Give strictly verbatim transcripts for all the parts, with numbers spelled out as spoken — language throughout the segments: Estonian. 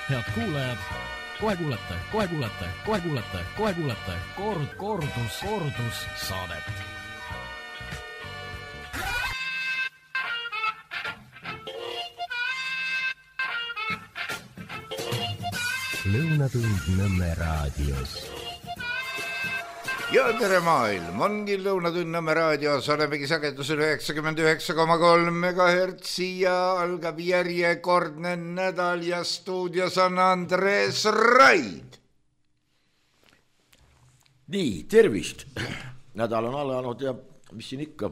Head kuulajad, kohe kuulete, kohe kuulete, kohe kuulete, kohe kuulete kord, kordus, kordus saadet. Lõunatund Nõmme raadios. Ja tere maailm, ongi Lõunatund Nõmme raadios, olemegi sagedusel üheksakümmend üheksa koma kolm megahertsi ja algab järjekordne nädal ja stuudios on Andres Raid. Nii, tervist. Nädal on alanud ja mis siin ikka,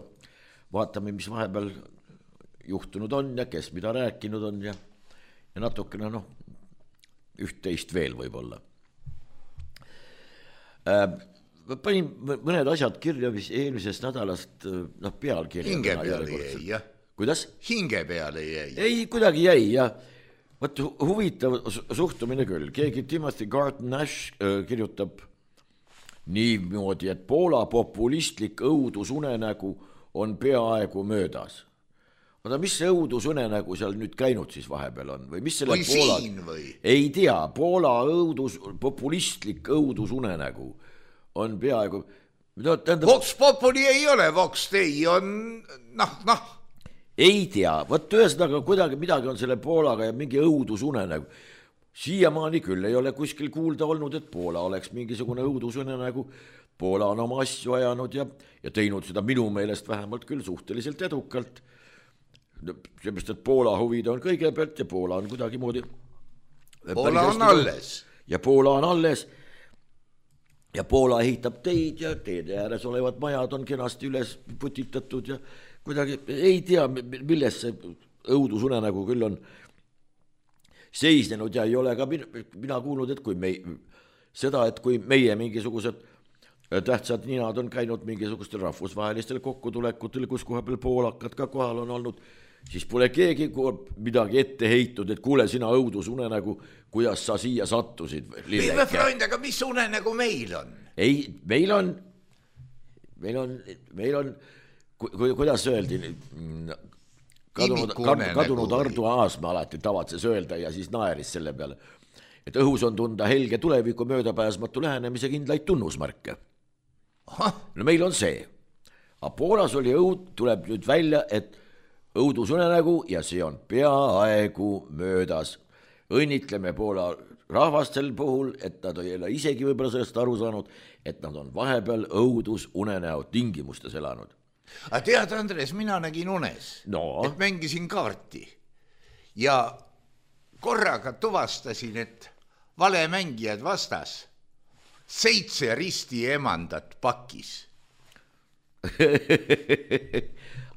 vaatame, mis vahepeal juhtunud on ja kes mida rääkinud on ja, ja natukene noh, üht-teist veel võib-olla. Äh, panin mõned asjad kirja, mis eelmisest nädalast noh, pealkirja. Hinge peale jäi, jah. Kuidas? Hinge peale jäi. Ei, kuidagi jäi ja võt huvitav suhtumine küll. Keegi Timothy Garton Nash äh, kirjutab niimoodi, et Poola populistlik õudusunenägu on peaaegu möödas. Oda, mis see õudusunenägu seal nüüd käinud siis vahepeal on? Või mis selle või Poola... siin või? Ei tea, Poola õudus, populistlik õudusunenägu on peaaegu... No, tähendab... Vox populi ei ole, Vox Dei on... Noh, noh. Ei tea, võt ühesõnaga kuidagi midagi on selle Poolaga ja mingi õudusunenägu. Siiamaani küll ei ole kuskil kuulda olnud, et Poola oleks mingisugune õudusunenägu. Poola on oma asju ajanud ja, ja teinud seda minu meelest vähemalt küll suhteliselt edukalt. Seepärast, et Poola huvid on kõigepealt ja Poola on kuidagi moodi... Poola on alles. Ja Poola on alles. Ja Poola ehitab teid ja teede ääres olevad majad on kenasti üles putitatud ja kuidagi ei tea, milles see õudusunenägu küll on seisnenud ja ei ole ka mina kuulnud, et kui me, seda, et kui meie mingisugused tähtsad ninad on käinud mingisugustel rahvusvahelistel kokkutulekutel, kus koha peal poolakad ka kohal on olnud, siis pole keegi midagi ette heitud, et kuule sina õudusunenägu, kuidas sa siia sattusid. Liive Freund, aga mis unenägu meil on? Ei, meil on, meil on, meil on, ku, kuidas öeldi, kadunud, kadunud Ardu Aasma alati tavatses öelda ja siis naeris selle peale, et õhus on tunda helge tuleviku möödapääsmatu lähenemise kindlaid tunnusmarke. No meil on see. Aga Poolas oli õud, tuleb nüüd välja, et õudusunenägu ja see on peaaegu möödas. Õnnitleme Poola rahvastel puhul, et nad ei ole isegi võib-olla sellest aru saanud, et nad on vahepeal õudusunenäo tingimustes elanud. Aga tead, Andres, mina nägin unes, no. Et mängisin kaarti ja korraga tuvastasin, et valemängijad vastas seitse risti emandat pakis.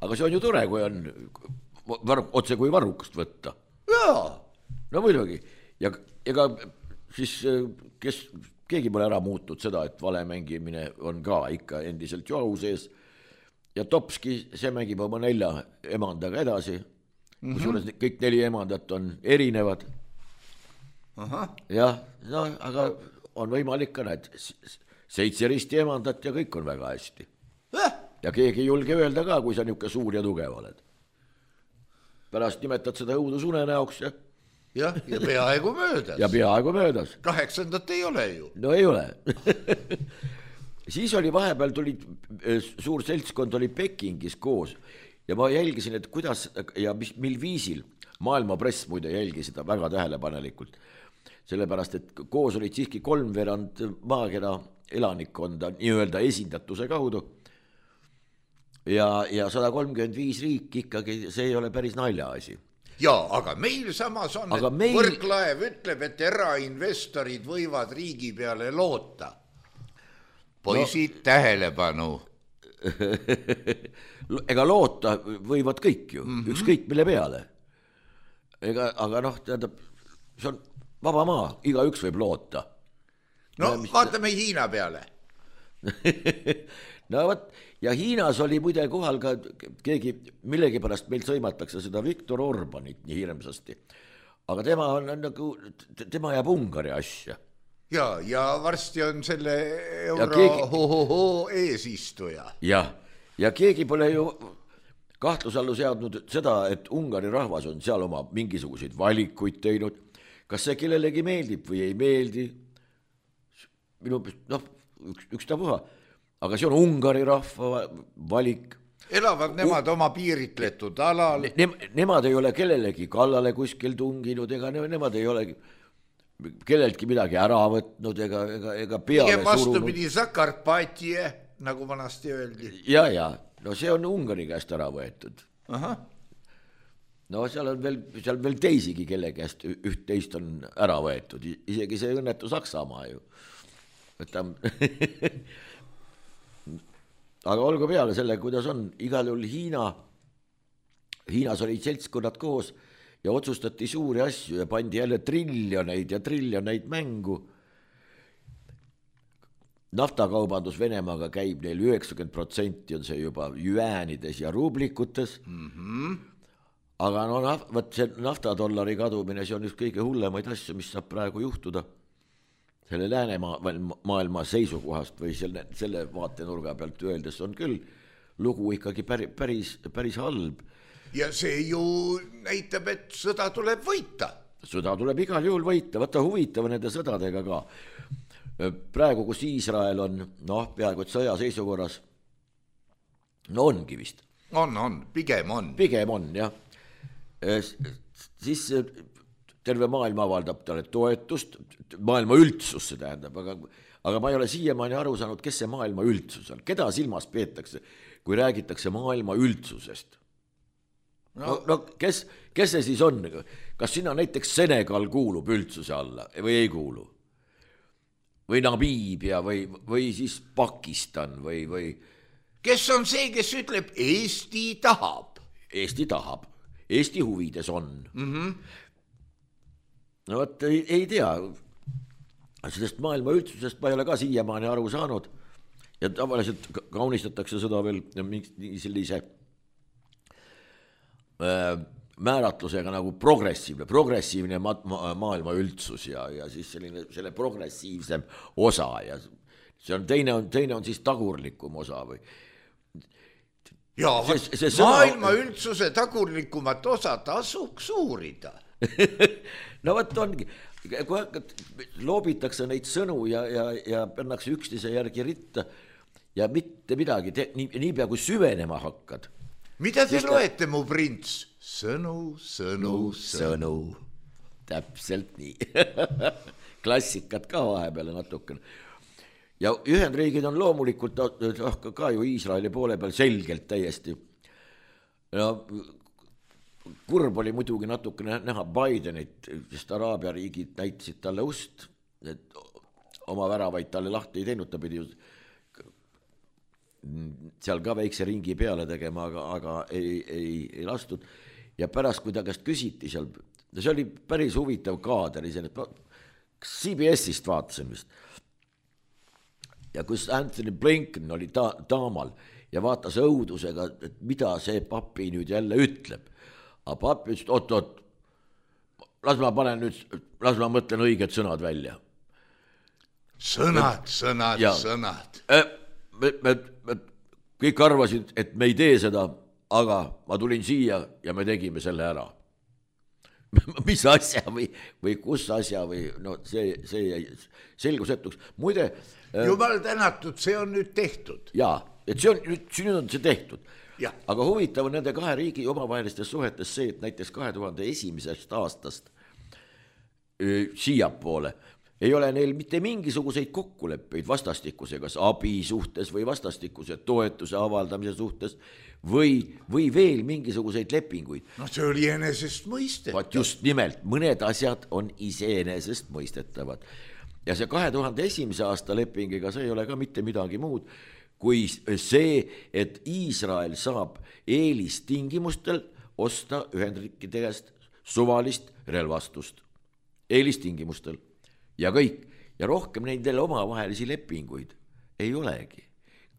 Aga see on ju tore, kui on var, otse kui varrukast võtta. Jaa. No muidugi. Ja ega siis kes, keegi pole ära muutnud seda, et vale mängimine on ka ikka endiselt ju au sees. Ja Topski, see mängib oma nelja emandaga edasi. Mm-hmm. Kusjuures kõik neli emandat on erinevad. Aha. Jah, no, aga on võimalik ka need seitse risti emandat ja kõik on väga hästi. Eh? Ja keegi ei julge öelda ka, kui sa niuke suur ja tugev oled. Pärast nimetad seda õudusunenäoks ja... Ja, ja peaaegu möödas. Ja peaaegu möödas. Kaheksandat ei ole ju. No ei ole. Siis oli vahepeal tuli, suur seltskond oli Pekingis koos ja ma jälgisin, et kuidas ja mis, mil viisil maailma press muide jälgi seda väga tähelepanelikult. Sellepärast, et koos olid siiski kolmveerand maakera elanikkonda nii-öelda esindatuse kaudu ja, ja sada kolmkümmend viis riik ikkagi, see ei ole päris nalja asi. Jaa, aga meil samas on, aga et meil... Võrklaev ütleb, et erainvestorid võivad riigi peale loota. Poisid no... tähelepanu. Ega loota võivad kõik ju, mm-hmm. ükskõik mille peale. Ega, aga noh, tähendab, see on vaba maa, iga üks võib loota. No ja, mis... vaatame Hiina peale. No võt, ja Hiinas oli muide kohal ka keegi, millegi pärast meil sõimatakse seda Viktor Orbanit nii hirmsasti. Aga tema on nagu, tema jääb Ungari asja. Ja, ja varsti on selle euro keegi... ho, ho, ho, eesistuja. Ja, ja keegi pole ju kahtlusallu seadnud seda, et Ungari rahvas on seal oma mingisuguseid valikuid teinud. kas see kellelegi meeldib või ei meeldi, minu, noh, üks, üks tapuha, aga see on Ungari rahva valik. Elavad nemad U oma piiritletud alal. Ne, nemad ei ole kellelegi kallale kuskil tunginud, ega ne, nemad ei ole kelleltki midagi ära võtnud ega, ega, ega peale surunud. Vastupidi Zakarpatie, nagu vanasti öeldi. Ja, ja, no see on Ungari käest ära võetud. Aha. No seal on veel, seal veel teisigi, kelle käest üht teist on ära võetud, isegi see õnnetu Saksamaa ju. Võtam... aga olgu peale selle, kuidas on, igal juhul Hiina, Hiinas olid seltskonnad koos ja otsustati suuri asju ja pandi jälle triljoneid ja triljoneid mängu. Naftakaubandus Venemaaga käib neil üheksakümmend protsenti on see juba jüäänides ja ruublikutes. Mm-hmm. Aga no võt see naftadollari kadumine, see on üks kõige hullemaid asju, mis saab praegu juhtuda selle läänemaailma seisukohast või selle, selle vaatenurga pealt öeldes on küll lugu ikkagi päris, päris, päris halb. Ja see ju näitab, et sõda tuleb võita. Sõda tuleb igal juhul võita, võtta huvitav nende sõdadega ka. Praegu, kus Iisrael on, noh, peaaegu et sõja seisukorras, no ongi vist. On, on, pigem on. Pigem on, jah. Siis terve maailma avaldab talle toetust, maailma üldsus see tähendab, aga, aga ma ei ole siiamaani aru saanud, kes see maailma üldsus on, keda silmas peetakse, kui räägitakse maailma üldsusest. No, no kes, kes see siis on? Kas sinna näiteks Senegal kuulub üldsuse alla või ei kuulu? Või Namibia või, või siis Pakistan või, või... Kes on see, kes ütleb, Eesti tahab? Eesti tahab, Eesti huvides on. Mhm. No võt, ei, ei tea, sellest maailma üldsusest ma ei ole ka siiamaani aru saanud ja tavaliselt kaunistatakse seda veel sellise äh, määratlusega nagu progressiivne, progressiivne ma ma maailma üldsus ja, ja siis selline, selle progressiivsem osa ja see on teine, on, teine on siis tagurlikum osa või ja see, see maailma sõna... üldsuse tagurlikumat osa tasuks uurida. No võt ongi, kui loobitakse neid sõnu ja, ja, ja pannakse üksteise järgi ritta ja mitte midagi, te, nii, nii pea kui süvenema hakkad. Mida te loete, ta... mu prints? Sõnu, sõnu, sõnu. Täpselt nii. Klassikat ka vahepeale natukene. Ja Ühendriigid on loomulikult ka ju Iisraeli poole peal selgelt täiesti. No, kurb oli muidugi natukene näha Bidenit, sest Araabia riigid näitasid talle ust, et oma väravaid talle lahti ei teinud, ta pidi seal ka väikse ringi peale tegema, aga, aga ei, ei, ei lastud. Ja pärast, kui ta käest küsiti seal, see oli päris huvitav kaader, C B S-ist vaatasin vist. Ja kus Anthony Blinken oli ta, taamal ja vaatas õudusega, et mida see papi nüüd jälle ütleb. Aga papi ütles, oot, oot, las ma panen nüüd, las ma mõtlen õiged sõnad välja. Sõnad, sõnad, ja, sõnad. Me, me, me kõik arvasid, et me ei tee seda, aga ma tulin siia ja me tegime selle ära. Mis asja või, või kus asja või no see, see jäi selgusetuks. Muide... Jumal tänatud, see on nüüd tehtud. Jaa, et see on, nüüd on see tehtud. Ja. Aga huvitav on nende kahe riigi omavahelistes suhetes see, et näiteks kahe tuhande esimesest aastast öö, siiapoole ei ole neil mitte mingisuguseid kokkuleppeid vastastikuse, kas abi suhtes või vastastikuse toetuse avaldamise suhtes või, või veel mingisuguseid lepinguid. No see oli enesest mõistetav. Vaat just nimelt, mõned asjad on iseenesest mõistetavad. Ja see kahe tuhande esimese aasta lepingiga, see ei ole ka mitte midagi muud, kui see, et Iisrael saab eelistingimustel osta Ühendriikide käest suvalist relvastust. Eelistingimustel. Ja kõik. Ja rohkem nendele omavahelisi lepinguid ei olegi.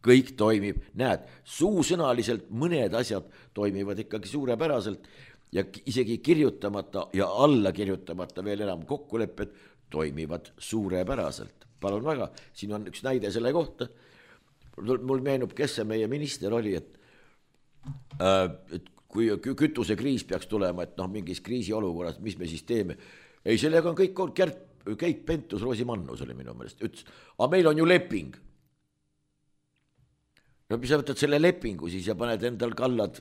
Kõik toimib, näed, suusõnaliselt mõned asjad toimivad ikkagi suurepäraselt ja isegi kirjutamata ja alla kirjutamata veel enam kokkulepped toimivad suurepäraselt. Palun väga, siin on üks näide selle kohta. Mul meenub, kes see meie minister oli, et, äh, et kui kütusekriis peaks tulema, et noh, mingis kriisi olukorras, mis me siis teeme, ei, sellega on kõik, Kärt, Keit Pentus-Rosimannus oli minu meelest, ütles, aga meil on ju leping. No mis sa võtad selle lepingu siis ja paned endal kallad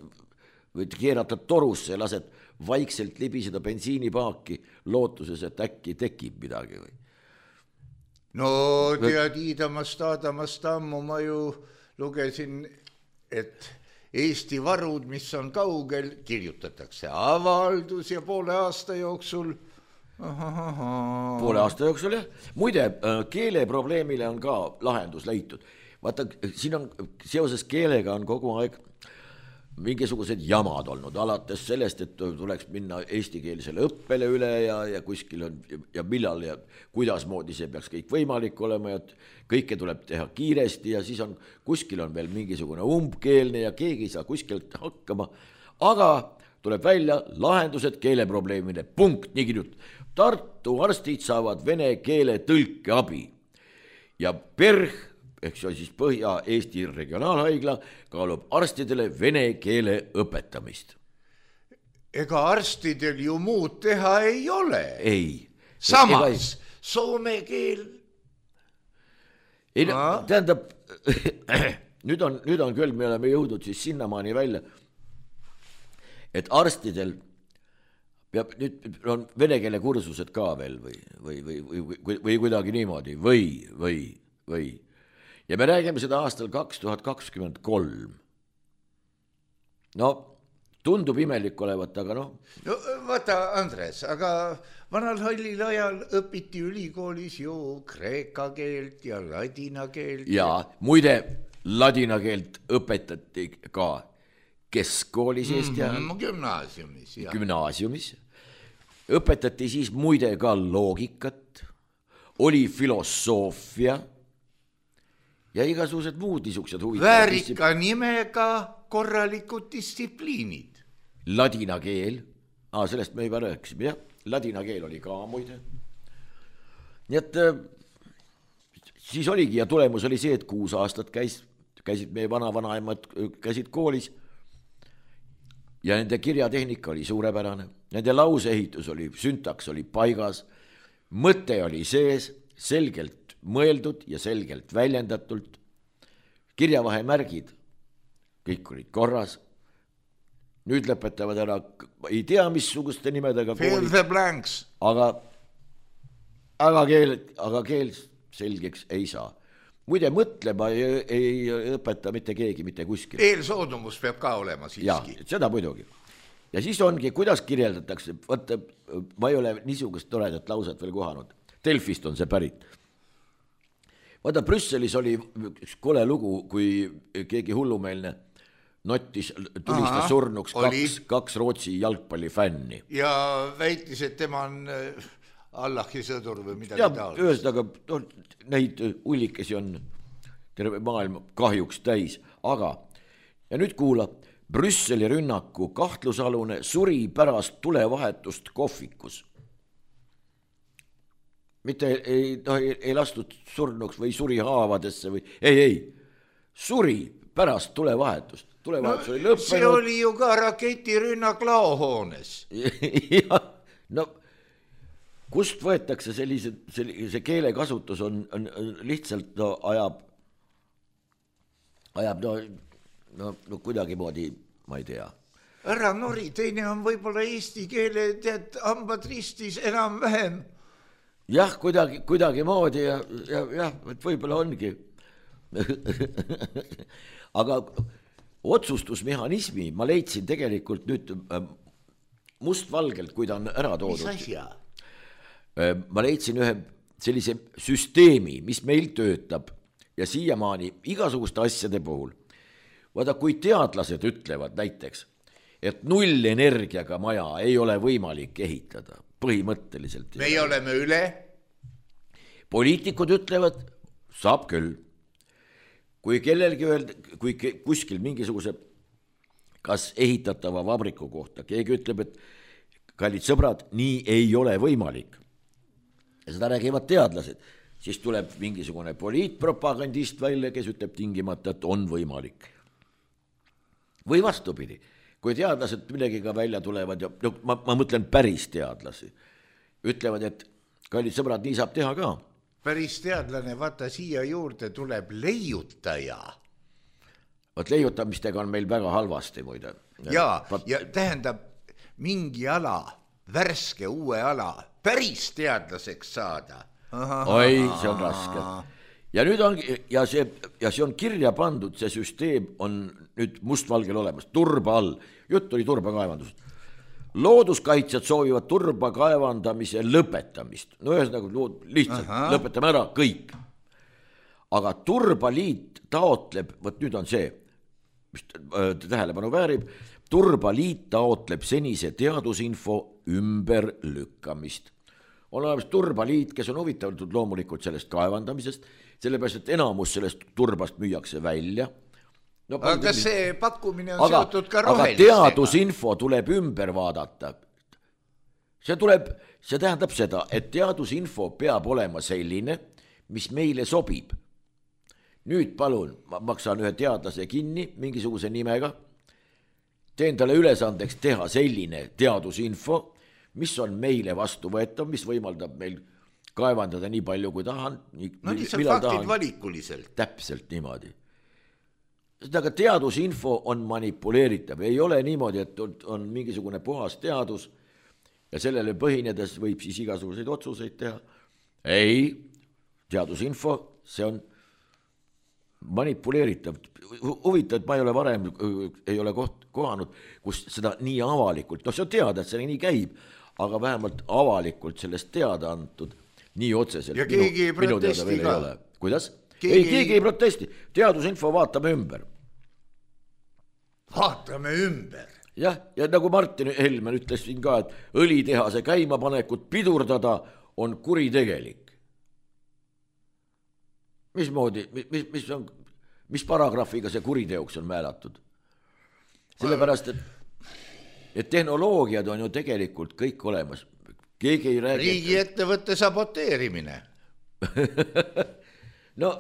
või keeratad torusse ja lased vaikselt libiseda bensiinipaaki lootuses, et äkki tekib midagi või? No tead, iidamast, aadamast ammu ma ju lugesin, et Eesti varud, mis on kaugel, kirjutatakse avaldus ja poole aasta jooksul Ahaha. poole aasta jooksul jah. Muide, keeleprobleemile on ka lahendus leitud. Vaata, siin on seoses keelega on kogu aeg mingisugused jamad olnud, alates sellest, et tuleks minna eestikeelsele õppele üle ja, ja kuskil on ja millal ja kuidas moodi see peaks kõik võimalik olema ja kõike tuleb teha kiiresti ja siis on kuskil on veel mingisugune umbkeelne ja keegi ei saa kuskilt hakkama, aga tuleb välja lahendused keeleprobleemile, punkt, nii kirjut. Tartu arstid saavad vene keele tõlke abi ja PERH ehk see on siis Põhja-Eesti regionaalhaigla kaalub arstidele vene keele õpetamist. Ega arstidel ju muud teha ei ole. Ei. Samas ei... soome keel. Ei, no, tähendab, nüüd on, nüüd on küll, me oleme jõudnud siis sinnamaani välja, et arstidel peab, nüüd on vene keele kursused ka veel või, või, või, või, või, või kuidagi niimoodi või, või, või. Ja me räägime seda aastal kaks tuhat kakskümmend kolm. No, tundub imelik olevat, aga noh. No vaata, Andres, aga vanal hallil ajal õpiti ülikoolis ju kreeka keelt ja ladina keelt. Ja muide, ladina keelt õpetati ka keskkoolis Eesti ajal. Mm-hmm, gümnaasiumis, jah. Gümnaasiumis. Õpetati siis muide ka loogikat, oli filosoofia, ja igasugused muud niisugused huvitavad. Väärika nimega korralikud distsipliinid. Ladina keel, ah, sellest me juba rääkisime, jah, ladina keel oli ka muide. Nii et siis oligi ja tulemus oli see, et kuus aastat käis, käisid meie vana-vanaemad käisid koolis ja nende kirjatehnika oli suurepärane, nende lauseehitus oli, süntaks oli paigas, mõte oli sees, selgelt mõeldud ja selgelt väljendatult, kirjavahemärgid, kõik olid korras, nüüd lõpetavad ära, ei tea missuguste nimedega fill the blanks, aga, aga, keel, aga keel selgeks ei saa. Muide, mõtlema ei, ei õpeta mitte keegi, mitte kuskil. Eelsoodumus peab ka olema siiski. Ja, seda muidugi. Ja siis ongi, kuidas kirjeldatakse, vaata, ma ei ole niisugust toredat lauset veel kohanud, Delfist on see pärit. Vaata, Brüsselis oli üks kole lugu, kui keegi hullumeelne nottis, tulistas surnuks kaks, kaks Rootsi jalgpallifänni. Ja väitis, et tema on Allahi sõdur või midagi ja, taolist. Ühesõnaga, no, neid ullikesi on terve maailm kahjuks täis, aga ja nüüd kuula, Brüsseli rünnaku kahtlusalune suri pärast tulevahetust kohvikus. Mitte ei, no, ei, ei lastud surnuks või suri haavadesse või ei, ei, suri pärast tulevahetust. Tulevahetus no, oli lõppenud. See oli ju ka raketirünnak laohoones. Ja, no kust võetakse sellise, sellise keelekasutus on, on lihtsalt no, ajab, ajab no, no, no kuidagi moodi, ma ei tea. Ära nori, teine on võib-olla eesti keele, tead, hambad ristis enam vähem. Jah, kuidagi, kuidagi moodi ja, ja, jah, et võib-olla ongi. Aga otsustusmehhanismi ma leidsin tegelikult nüüd mustvalgelt, kui ta on ära toodud. Mis asja? Ma leidsin ühe sellise süsteemi, mis meil töötab ja siiamaani igasuguste asjade puhul. Vaata, kui teadlased ütlevad näiteks, et nullenergiaga maja ei ole võimalik ehitada, põhimõtteliselt. Me oleme üle. Poliitikud ütlevad, saab küll. Kui kellelgi öelda, kui kuskil mingisuguse kas ehitatava vabriku kohta, keegi ütleb, et kallid sõbrad, nii ei ole võimalik. Ja seda räägivad teadlased. Siis tuleb mingisugune poliitpropagandist välja, kes ütleb tingimata, et on võimalik. Või vastupidi. Kui teadlased millegiga välja tulevad ja no, ma, ma mõtlen päris teadlasi ütlevad, et kallid sõbrad, nii saab teha ka. Päris teadlane, vaata siia juurde tuleb leiutaja. Vaat leiutamistega on meil väga halvasti muide. Jaa, ja tähendab mingi ala, värske uue ala, päris teadlaseks saada. Oi, see on raske. Ja nüüd on, ja see, ja see on kirja pandud, see süsteem on nüüd mustvalgel olemas, turba all. Jutt oli turba kaevandusest. Looduskaitsjad soovivad turba kaevandamise lõpetamist. No ühesõnaga lihtsalt Aha. lõpetame ära kõik. Aga Turbaliit taotleb, võt nüüd on see, mis tähelepanu väärib, Turbaliit taotleb senise teadusinfo ümber lükkamist. On olemas Turbaliit, kes on huvitatud loomulikult sellest kaevandamisest, sellepärast, et enamus sellest turbast müüakse välja. No, aga kas see pakkumine on aga, seotud ka rohelistega? Aga teadusinfo tuleb ümber vaadata. See tuleb, see tähendab seda, et teadusinfo peab olema selline, mis meile sobib. Nüüd palun, ma maksan ühe teadlase kinni mingisuguse nimega, teen talle ülesandeks teha selline teadusinfo, mis on meile vastuvõetav, mis võimaldab meil kaevandada nii palju, kui tahan. No lihtsalt faktid tahan. Valikuliselt. Täpselt niimoodi. Aga teadusinfo on manipuleeritav. Ei ole niimoodi, et on mingisugune puhas teadus ja sellele põhinedes võib siis igasuguseid otsuseid teha. Ei, teadusinfo, see on manipuleeritav. Huvitav, et ma ei ole varem, ei ole koht, kohanud, kus seda nii avalikult, no see on teada, et see nii käib, aga vähemalt avalikult sellest teada antud nii otseselt. Ja keegi ei protesti ka. Kuidas? Keegi... Ei, keegi ei protesti. Teadusinfo vaatame ümber. Vaatame ümber. Jah, ja nagu Martin Helmen ütles siin ka, et õlitehase käimapanekut pidurdada on kuritegelik. Mismoodi, mis, mis, on, mis paragrahviga see kuriteoks on määratud? Sellepärast, et, et tehnoloogiad on ju tegelikult kõik olemas. Keegi ei räägi... Riigi ettevõtte saboteerimine. No,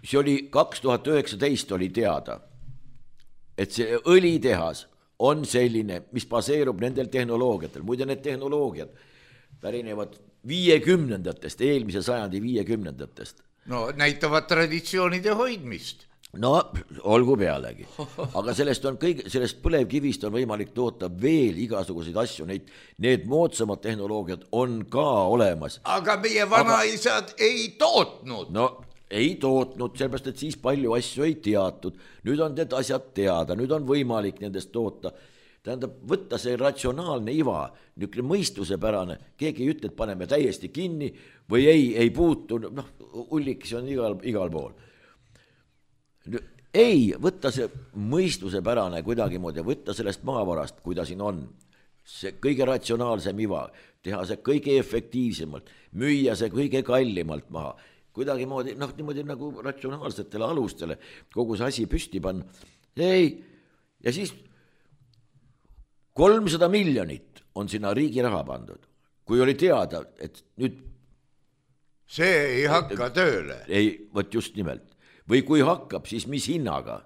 see oli kaks tuhat üheksateist oli teada, et see õlitehas on selline, mis baseerub nendel tehnoloogiatel. Muide, need tehnoloogiad pärinevad viiekümnendatest, eelmise sajandi viiekümnendatest. No, näitavad traditsioonide hoidmist. No, olgu pealegi. Aga sellest on kõik, sellest põlevkivist on võimalik toota veel igasuguseid asju. Neid, need moodsamad tehnoloogiad on ka olemas. Aga meie vanaisad Aga... ei tootnud. No, ei tootnud, sellepärast, et siis palju asju ei teatud. Nüüd on need asjad teada, nüüd on võimalik nendest toota. Tähendab, võtta see ratsionaalne iva, niisugune mõistusepärane, keegi ei ütle, et paneme täiesti kinni või ei, ei puutu, noh, ullik, see on igal, igal pool. Ei, võtta see mõistusepärane kuidagi moodi, võtta sellest maavarast, kui ta siin on, see kõige ratsionaalsem iva, teha see kõige efektiivsemalt, müüa see kõige kallimalt maha, kuidagi moodi, noh, niimoodi nagu ratsionaalsetele alustele, kogu see asi püsti panna. Ei, ja siis kolmsada miljonit on sinna riigi raha pandud, kui oli teada, et nüüd... See ei hakka tööle. Ei, võt just nimelt. Või kui hakkab, siis mis hinnaga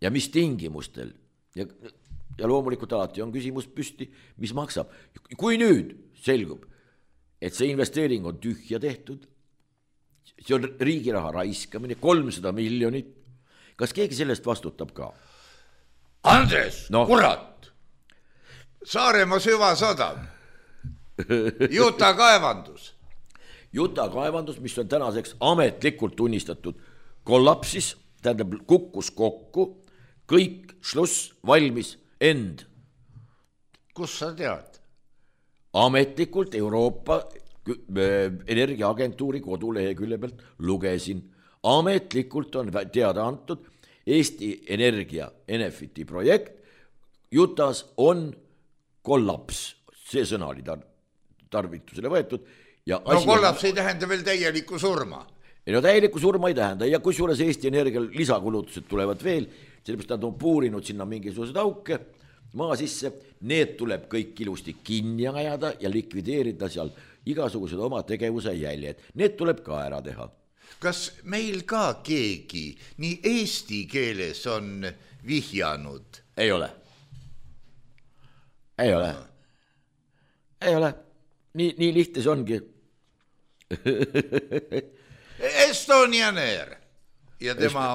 ja mis tingimustel. Ja, ja loomulikult alati on küsimus püsti, mis maksab. Kui nüüd selgub, et see investeering on tühja tehtud, see on riigi raha raiskamine, kolmsada miljonit, kas keegi sellest vastutab ka? Andres, no. Kurat! Saaremaa süvasadam, Juta kaevandus. Juta kaevandus, mis on tänaseks ametlikult tunnistatud kollapsis, tähendab kukkus kokku, kõik šluss valmis end. Kus sa tead? Ametlikult Euroopa Energiaagentuuri kodulehekülje pealt lugesin. Ametlikult on teada antud Eesti Energia Enefiti projekt. Jutas on kollaps. See sõna oli tar- tarvitusele võetud. Ja no kollaps on... ei tähenda veel täielikku surma. Ei no täielikku surma ei tähenda ja kusjuures Eesti Energial lisakulutused tulevad veel, sellepärast nad on puurinud sinna mingisugused auke maa sisse, need tuleb kõik ilusti kinni ajada ja likvideerida seal igasugused oma tegevuse jäljed. Need tuleb ka ära teha. Kas meil ka keegi nii eesti keeles on vihjanud? Ei ole. Ei ole. Ei ole. nii, nii lihtne see ongi. Estonian Air ja tema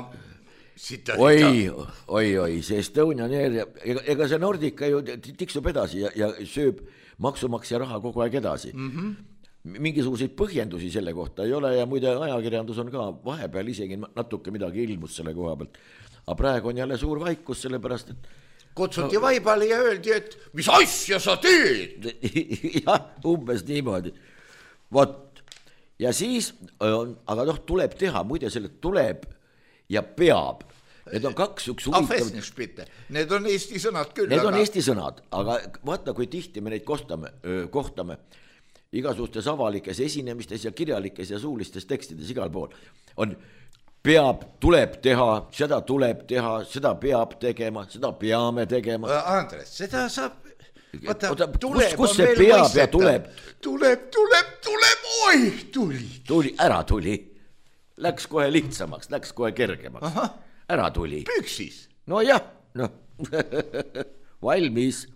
sita, oi, oi, oi, see Estonian Air ja ega, ega see Nordica ju tiksub edasi ja, ja sööb maksumaksja raha kogu aeg edasi. Mm-hmm. Mingisuguseid põhjendusi selle kohta ei ole ja muide ajakirjandus on ka vahepeal isegi natuke midagi ilmus selle koha pealt. Aga praegu on jälle suur vaikus, sellepärast, et kutsuti no, vaibale ja öeldi, et mis asja sa teed? jah, umbes niimoodi. Vot, ja siis, aga noh, tuleb teha, muide selle tuleb ja peab. Need on kaks üks huvitav. Need on eesti sõnad küll. Need aga... on eesti sõnad, aga vaata, kui tihti me neid kohtame, kohtame igasugustes avalikes esinemistes ja kirjalikes ja suulistes tekstides igal pool. On peab, tuleb teha, seda tuleb teha, seda peab tegema, seda peame tegema. Andres, seda saab... Vaata, Oota, tuleb kus, kus see peab ja tuleb? Tuleb, tuleb, tuleb, oi, tuli. Tuli, ära tuli. Läks kohe lihtsamaks, läks kohe kergemaks. Aha. Ära tuli. Püksis. No jah, no. Valmis.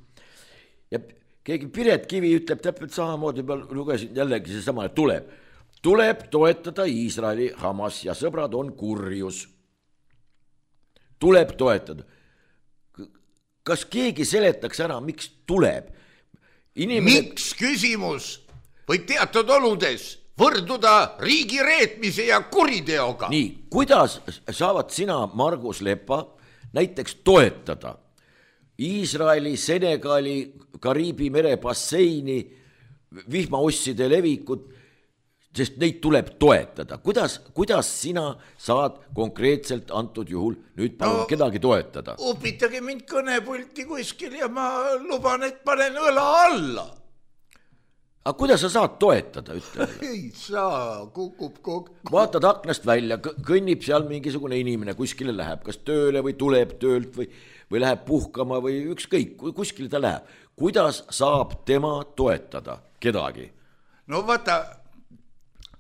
Ja keegi Piret Kivi ütleb täpselt samamoodi, ma lugesin jällegi see sama, et tuleb. Tuleb toetada Iisraeli, Hamas ja sõbrad on kurjus. Tuleb toetada. Kas keegi seletaks ära, miks tuleb? Inimene... Miks küsimus võib teatud oludes võrduda riigi reetmise ja kuriteoga? Nii, kuidas saavad sina, Margus Lepa, näiteks toetada Iisraeli, Senegali, Kariibi mere basseini, vihmausside levikut, sest neid tuleb toetada. Kuidas, kuidas sina saad konkreetselt antud juhul nüüd palun no, kedagi toetada? Upitage mind kõnepulti kuskil ja ma luban, et panen õla alla. Aga kuidas sa saad toetada, ütle? Ei saa, kukub kokku. Vaatad aknast välja, kõnnib seal mingisugune inimene, kuskile läheb, kas tööle või tuleb töölt või, või läheb puhkama või ükskõik, kuskile ta läheb. Kuidas saab tema toetada kedagi? No vaata...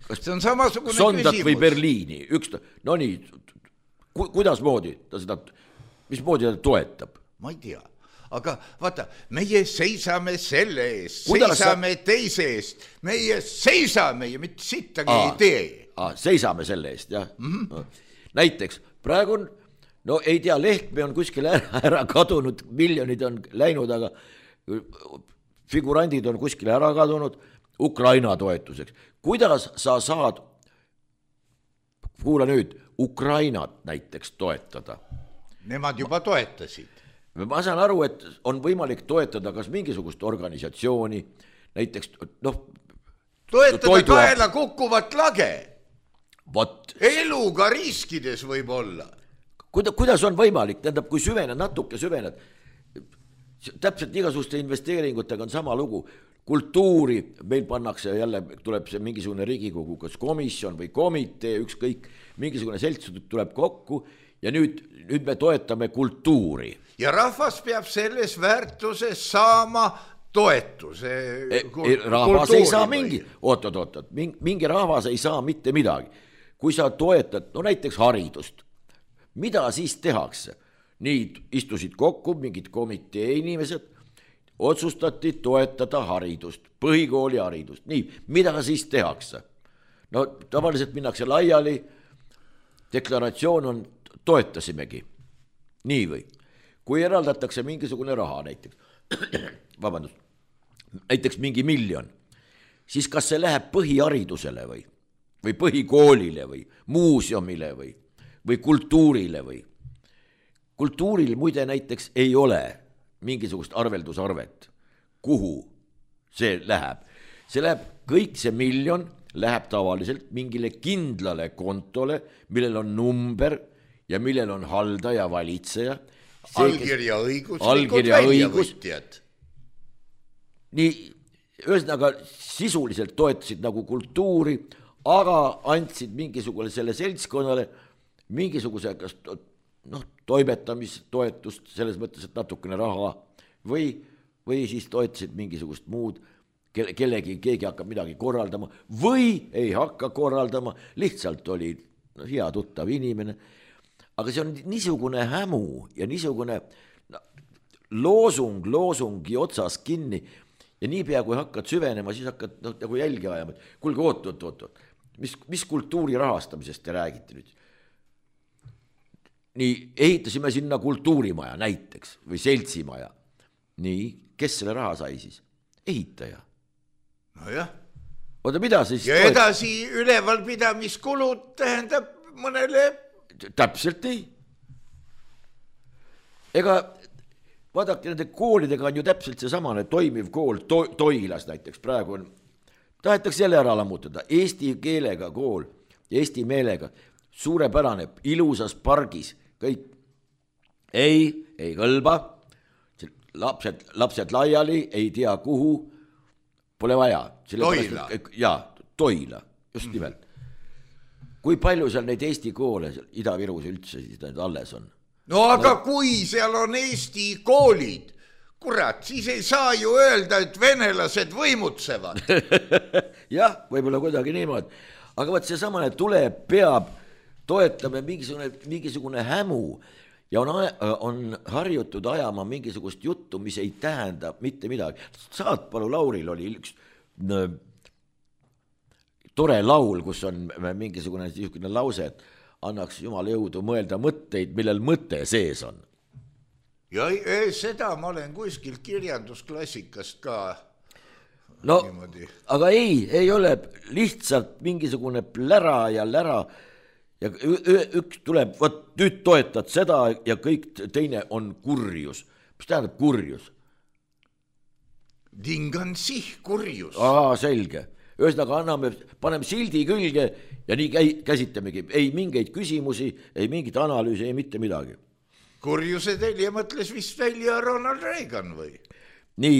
See on samasugune Sondat küsimus. Või Berliini, üks, no nii, ku, kuidas moodi ta seda, mis moodi ta toetab? Ma ei tea, aga vaata, meie seisame selle eest, kuidas seisame sa... teise eest, meie seisame ja mitte sittagi aa, ei tee. Aa, seisame selle eest, jah. Mm-hmm. Näiteks, praegu on, no ei tea, Lehtme on kuskil ära, ära kadunud, miljonid on läinud, aga figurandid on kuskil ära kadunud Ukraina toetuseks. Kuidas sa saad, kuula nüüd, Ukrainat näiteks toetada? Nemad juba toetasid. Ma saan aru, et on võimalik toetada kas mingisugust organisatsiooni, näiteks, noh... Toetada toidu... kaela kukkuvat lage. Vot. Eluga riskides võib olla. Kuida, kuidas on võimalik? Tähendab, kui süvened, natuke süvened, täpselt igasuguste investeeringutega on sama lugu. Kultuuri, meil pannakse jälle, tuleb see mingisugune Riigikogu, kas komisjon või komitee, ükskõik, mingisugune selts tuleb kokku ja nüüd, nüüd me toetame kultuuri. Ja rahvas peab selles väärtuses saama toetuse. E, e, rahvas ei saa mingi, oot, oot, oot, mingi rahvas ei saa mitte midagi. Kui sa toetad, no näiteks haridust, mida siis tehakse? Nii istusid kokku mingid komitee inimesed, otsustati toetada haridust, põhikooli haridust. Nii, mida siis tehakse? No tavaliselt minnakse laiali, deklaratsioon on, toetasimegi. Nii või? Kui eraldatakse mingisugune raha näiteks, vabandust, näiteks mingi miljon, siis kas see läheb põhiharidusele või, või põhikoolile või muuseumile või, või kultuurile või? Kultuuril muide näiteks ei ole mingisugust arveldusarvet, kuhu see läheb. See läheb, kõik see miljon läheb tavaliselt mingile kindlale kontole, millel on number ja millel on haldaja, valitseja. See, allkirja õigus. Allkirja õigus. Nii, ühesõnaga sisuliselt toetasid nagu kultuuri, aga andsid mingisugune selle seltskonnale mingisuguse kas noh, toimetamistoetust selles mõttes, et natukene raha või, või siis toetasid mingisugust muud, kellegi, keegi hakkab midagi korraldama või ei hakka korraldama, lihtsalt oli no, hea tuttav inimene. Aga see on niisugune hämu ja niisugune no, loosung, loosungi otsas kinni ja niipea kui hakkad süvenema, siis hakkad noh, nagu jälgi ajama, et kuulge, oot, oot, oot, oot. Mis, mis kultuuri rahastamisest te räägite nüüd? Nii, ehitasime sinna kultuurimaja näiteks või seltsimaja. Nii, kes selle raha sai siis? Ehitaja. No jah. Oota, mida siis? Ja edasi ülevalpidamiskulud tähendab mõnele... Täpselt ei. Ega vaadake, nende koolidega on ju täpselt see samane toimiv kool to Toilas näiteks. Praegu on, tahetakse jälle ära lammutada. Eesti keelega kool, Eesti meelega, suurepärane, ilusas pargis, kõik. Ei, ei kõlba, lapsed, lapsed laiali, ei tea kuhu, pole vaja. Toila. Jaa, Toila, just nimelt. Kui palju seal neid Eesti koole Ida-Virus üldse siis alles on? No aga no. Kui seal on Eesti koolid, kurat, siis ei saa ju öelda, et venelased võimutsevad. Jah, võib-olla kuidagi niimoodi. Aga võt see samane tuleb, peab, toetame mingisugune, mingisugune hämu ja on, on harjutud ajama mingisugust juttu, mis ei tähenda mitte midagi. Saatpalu Lauril oli üks no, tore laul, kus on mingisugune niisugune lause, et annaks Jumal jõudu mõelda mõtteid, millel mõte sees on. Ja seda ma olen kuskil kirjandusklassikast ka no, niimoodi. Aga ei, ei ole lihtsalt mingisugune plära ja lära ja üks tuleb, võt nüüd toetad seda ja kõik teine on kurjus. Mis tähendab kurjus? Dingan sih kurjus. Aa, selge. Ühesõnaga anname, paneme sildi külge ja nii käi, käsitamegi. Ei mingeid küsimusi, ei mingit analüüsi, ei mitte midagi. Kurjuse telje mõtles vist välja Ronald Reagan või? Nii,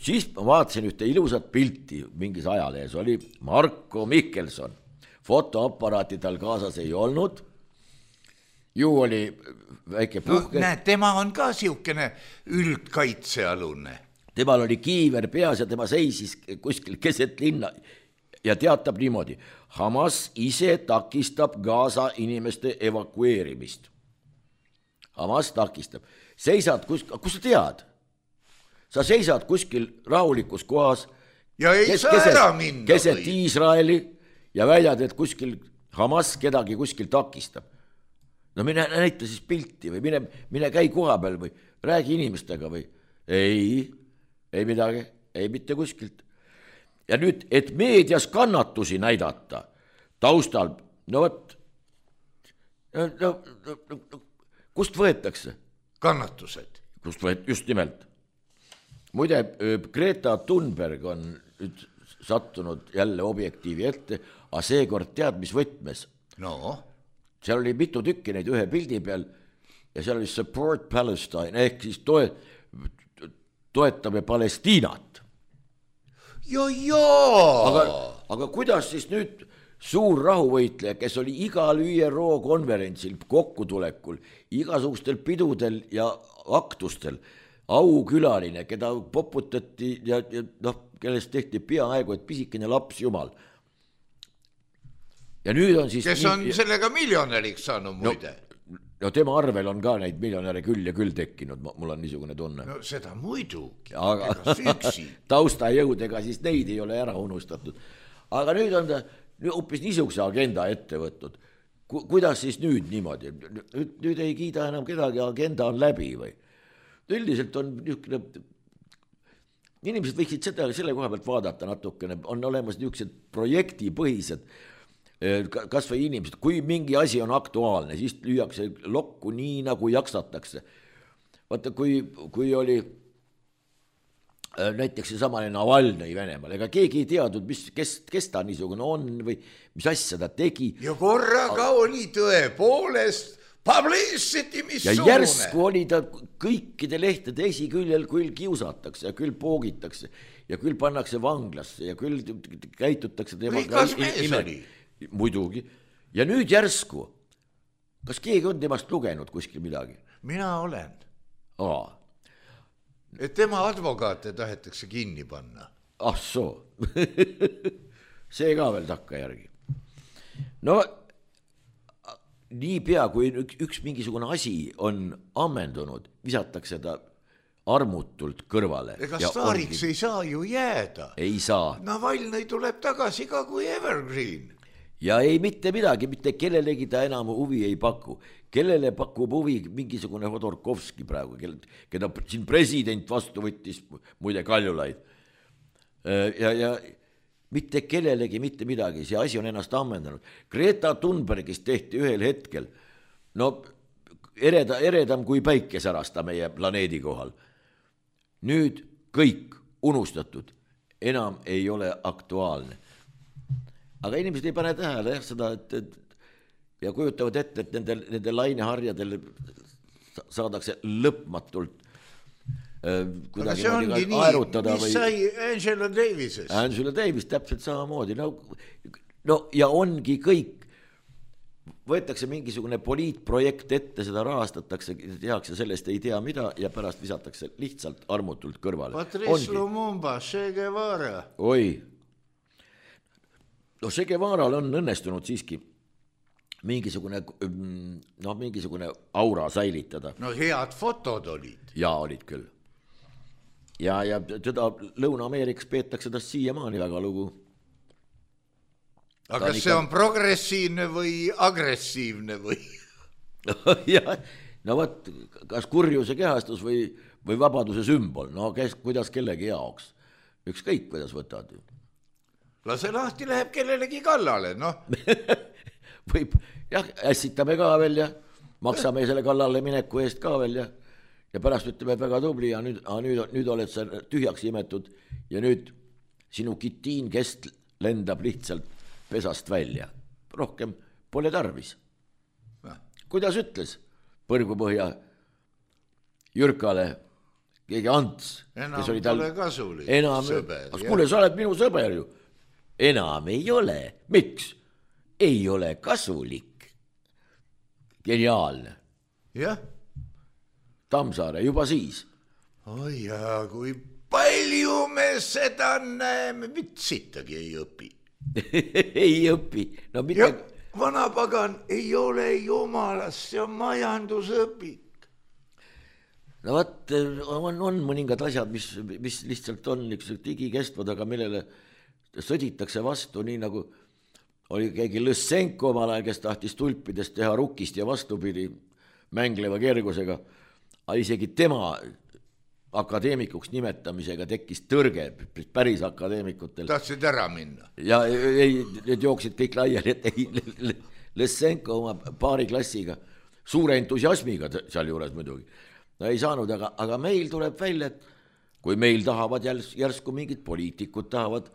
siis ma vaatasin ühte ilusat pilti mingis ajalehes, oli Marko Mihkelson. Fotoaparaati tal kaasas ei olnud. Ju oli väike puhke. No, näed, tema on ka siukene üldkaitsealune. Temal oli kiiver peas ja tema seisis kuskil keset linna ja teatab niimoodi. Hamas ise takistab Gaza inimeste evakueerimist. Hamas takistab. Seisad kuskil, kus sa tead? Sa seisad kuskil rahulikus kohas. Ja ei kes, saa keset, ära minna. Keset või? Iisraeli ja väidad, et kuskil Hamas kedagi kuskil takistab. No mine näita siis pilti või mine, mine käi koha peal või räägi inimestega või ei... Ei midagi, ei mitte kuskilt. Ja nüüd, et meedias kannatusi näidata taustal, no võt, no, no, no, kust võetakse? Kannatused. Kust võet, just nimelt. Muide, Greta Thunberg on nüüd sattunud jälle objektiivi ette, aga seekord tead, mis võtmes. No? Seal oli mitu tükki neid ühe pildi peal ja seal oli support Palestine, ehk siis toe... toetame Palestiinat. Ja, jaa! Aga, aga kuidas siis nüüd suur rahuvõitleja, kes oli igal Ü R O konverentsil, kokkutulekul, igasugustel pidudel ja aktustel, aukülaline, keda poputati ja, ja noh, kellest tehti peaaegu, et pisikene laps jumal. Ja nüüd on siis... Kes on nii... sellega miljonäriks saanud muide? No, no tema arvel on ka neid miljonäre küll ja küll tekkinud, mul on niisugune tunne. No seda muidugi, aga taustajõudega siis neid ei ole ära unustatud. Aga nüüd on ta hoopis niisuguse agenda ette võtnud. Ku, kuidas siis nüüd niimoodi? Nüüd, nüüd ei kiida enam kedagi, agenda on läbi või? Üldiselt on niisugune... Inimesed võiksid seda, selle koha pealt vaadata natukene, on olemas niisugused projektipõhised kas või inimesed, kui mingi asi on aktuaalne, siis lüüakse lokku nii, nagu jaksatakse. Vaata, kui, kui oli näiteks see samane Navalnõi Venemaal, ega keegi ei teadnud, mis, kes, kes ta niisugune on või mis asja ta tegi. Ja korraga aga... oli tõepoolest publicity, mis ja suune. Järsku oli ta kõikide lehtede esiküljel, küll kiusatakse ja küll poogitakse ja küll pannakse vanglasse ja küll käitutakse temaga ime. Muidugi. Ja nüüd järsku, kas keegi on temast lugenud kuskil midagi? Mina olen. Aa. Et tema advokaate tahetakse kinni panna. Ah soo. See ka veel takka järgi. No, nii pea, kui üks mingisugune asi on ammendunud, visatakse ta armutult kõrvale. Ega staariks ongi... ei saa ju jääda. Ei saa. Navalnõi tuleb tagasi ka kui evergreen. Ja ei mitte midagi, mitte kellelegi ta enam huvi ei paku. Kellele pakub huvi mingisugune Hodorkovski praegu, keda siin president vastu võttis, muide Kaljulaid. Ja, ja mitte kellelegi mitte midagi, see asi on ennast ammendanud. Greta Thunbergist tehti ühel hetkel, no ereda, eredam kui päike särasta meie planeedi kohal. Nüüd kõik unustatud, enam ei ole aktuaalne. Aga inimesed ei pane tähele jah, seda, et, et ja kujutavad ette, et nende, nende laineharjadel saadakse lõpmatult äh, kuidagi moodi ka aerutada. Mis või... sai Angela Davisest? Angela Davis täpselt samamoodi. No, no ja ongi kõik. Võetakse mingisugune poliitprojekt ette, seda rahastatakse, tehakse sellest ei tea mida ja pärast visatakse lihtsalt armutult kõrvale. Patrice Lumumba, Che Guevara. Oi. No Che Guevaral on õnnestunud siiski mingisugune, no mingisugune aura säilitada. No head fotod olid. Ja olid küll. Ja, ja teda Lõuna-Ameerikas peetakse tast siiamaani väga lugu. Aga kas see on progressiivne või agressiivne või? Ja, no võt, kas kurjuse kehastus või, või vabaduse sümbol, no kes, kuidas kellegi jaoks. Ükskõik, kuidas võtad. Lase lahti läheb kellelegi kallale, noh. Võib, jah, ässitame ka veel ja maksame selle kallale mineku eest ka veel ja, ja pärast ütleme väga tubli ja nüüd, nüüd, nüüd oled sa tühjaks imetud ja nüüd sinu kitiin kest lendab lihtsalt pesast välja. Rohkem pole tarvis. Kuidas ütles Põrgupõhja Jürkale keegi Ants, enam pole tal... kasulik enam... sõber. Kuule, sa oled minu sõber ju. Enam ei ole. Miks? Ei ole kasulik. Geniaalne. Jah. Tammsaare juba siis. Oi ja kui palju me seda näeme, vitsitagi ei õpi. Ei õpi. No mitte... Ja vanapagan ei ole jumalast, see on majandusõpik. No vaat, on, on mõningad asjad, mis, mis lihtsalt on digikestvad, aga millele sõditakse vastu, nii nagu oli keegi Lõssenko omal ajal, kes tahtis tulpidest teha rukist ja vastupidi mängleva kergusega. Aga isegi tema akadeemikuks nimetamisega tekkis tõrge päris akadeemikutel. Tahtsid ära minna. Ja ei, need jooksid kõik laiali, et ei, Lõssenko oma paari klassiga, suure entusiasmiga seal juures muidugi. No ei saanud, aga, aga meil tuleb välja, et kui meil tahavad järs, järsku mingid poliitikud tahavad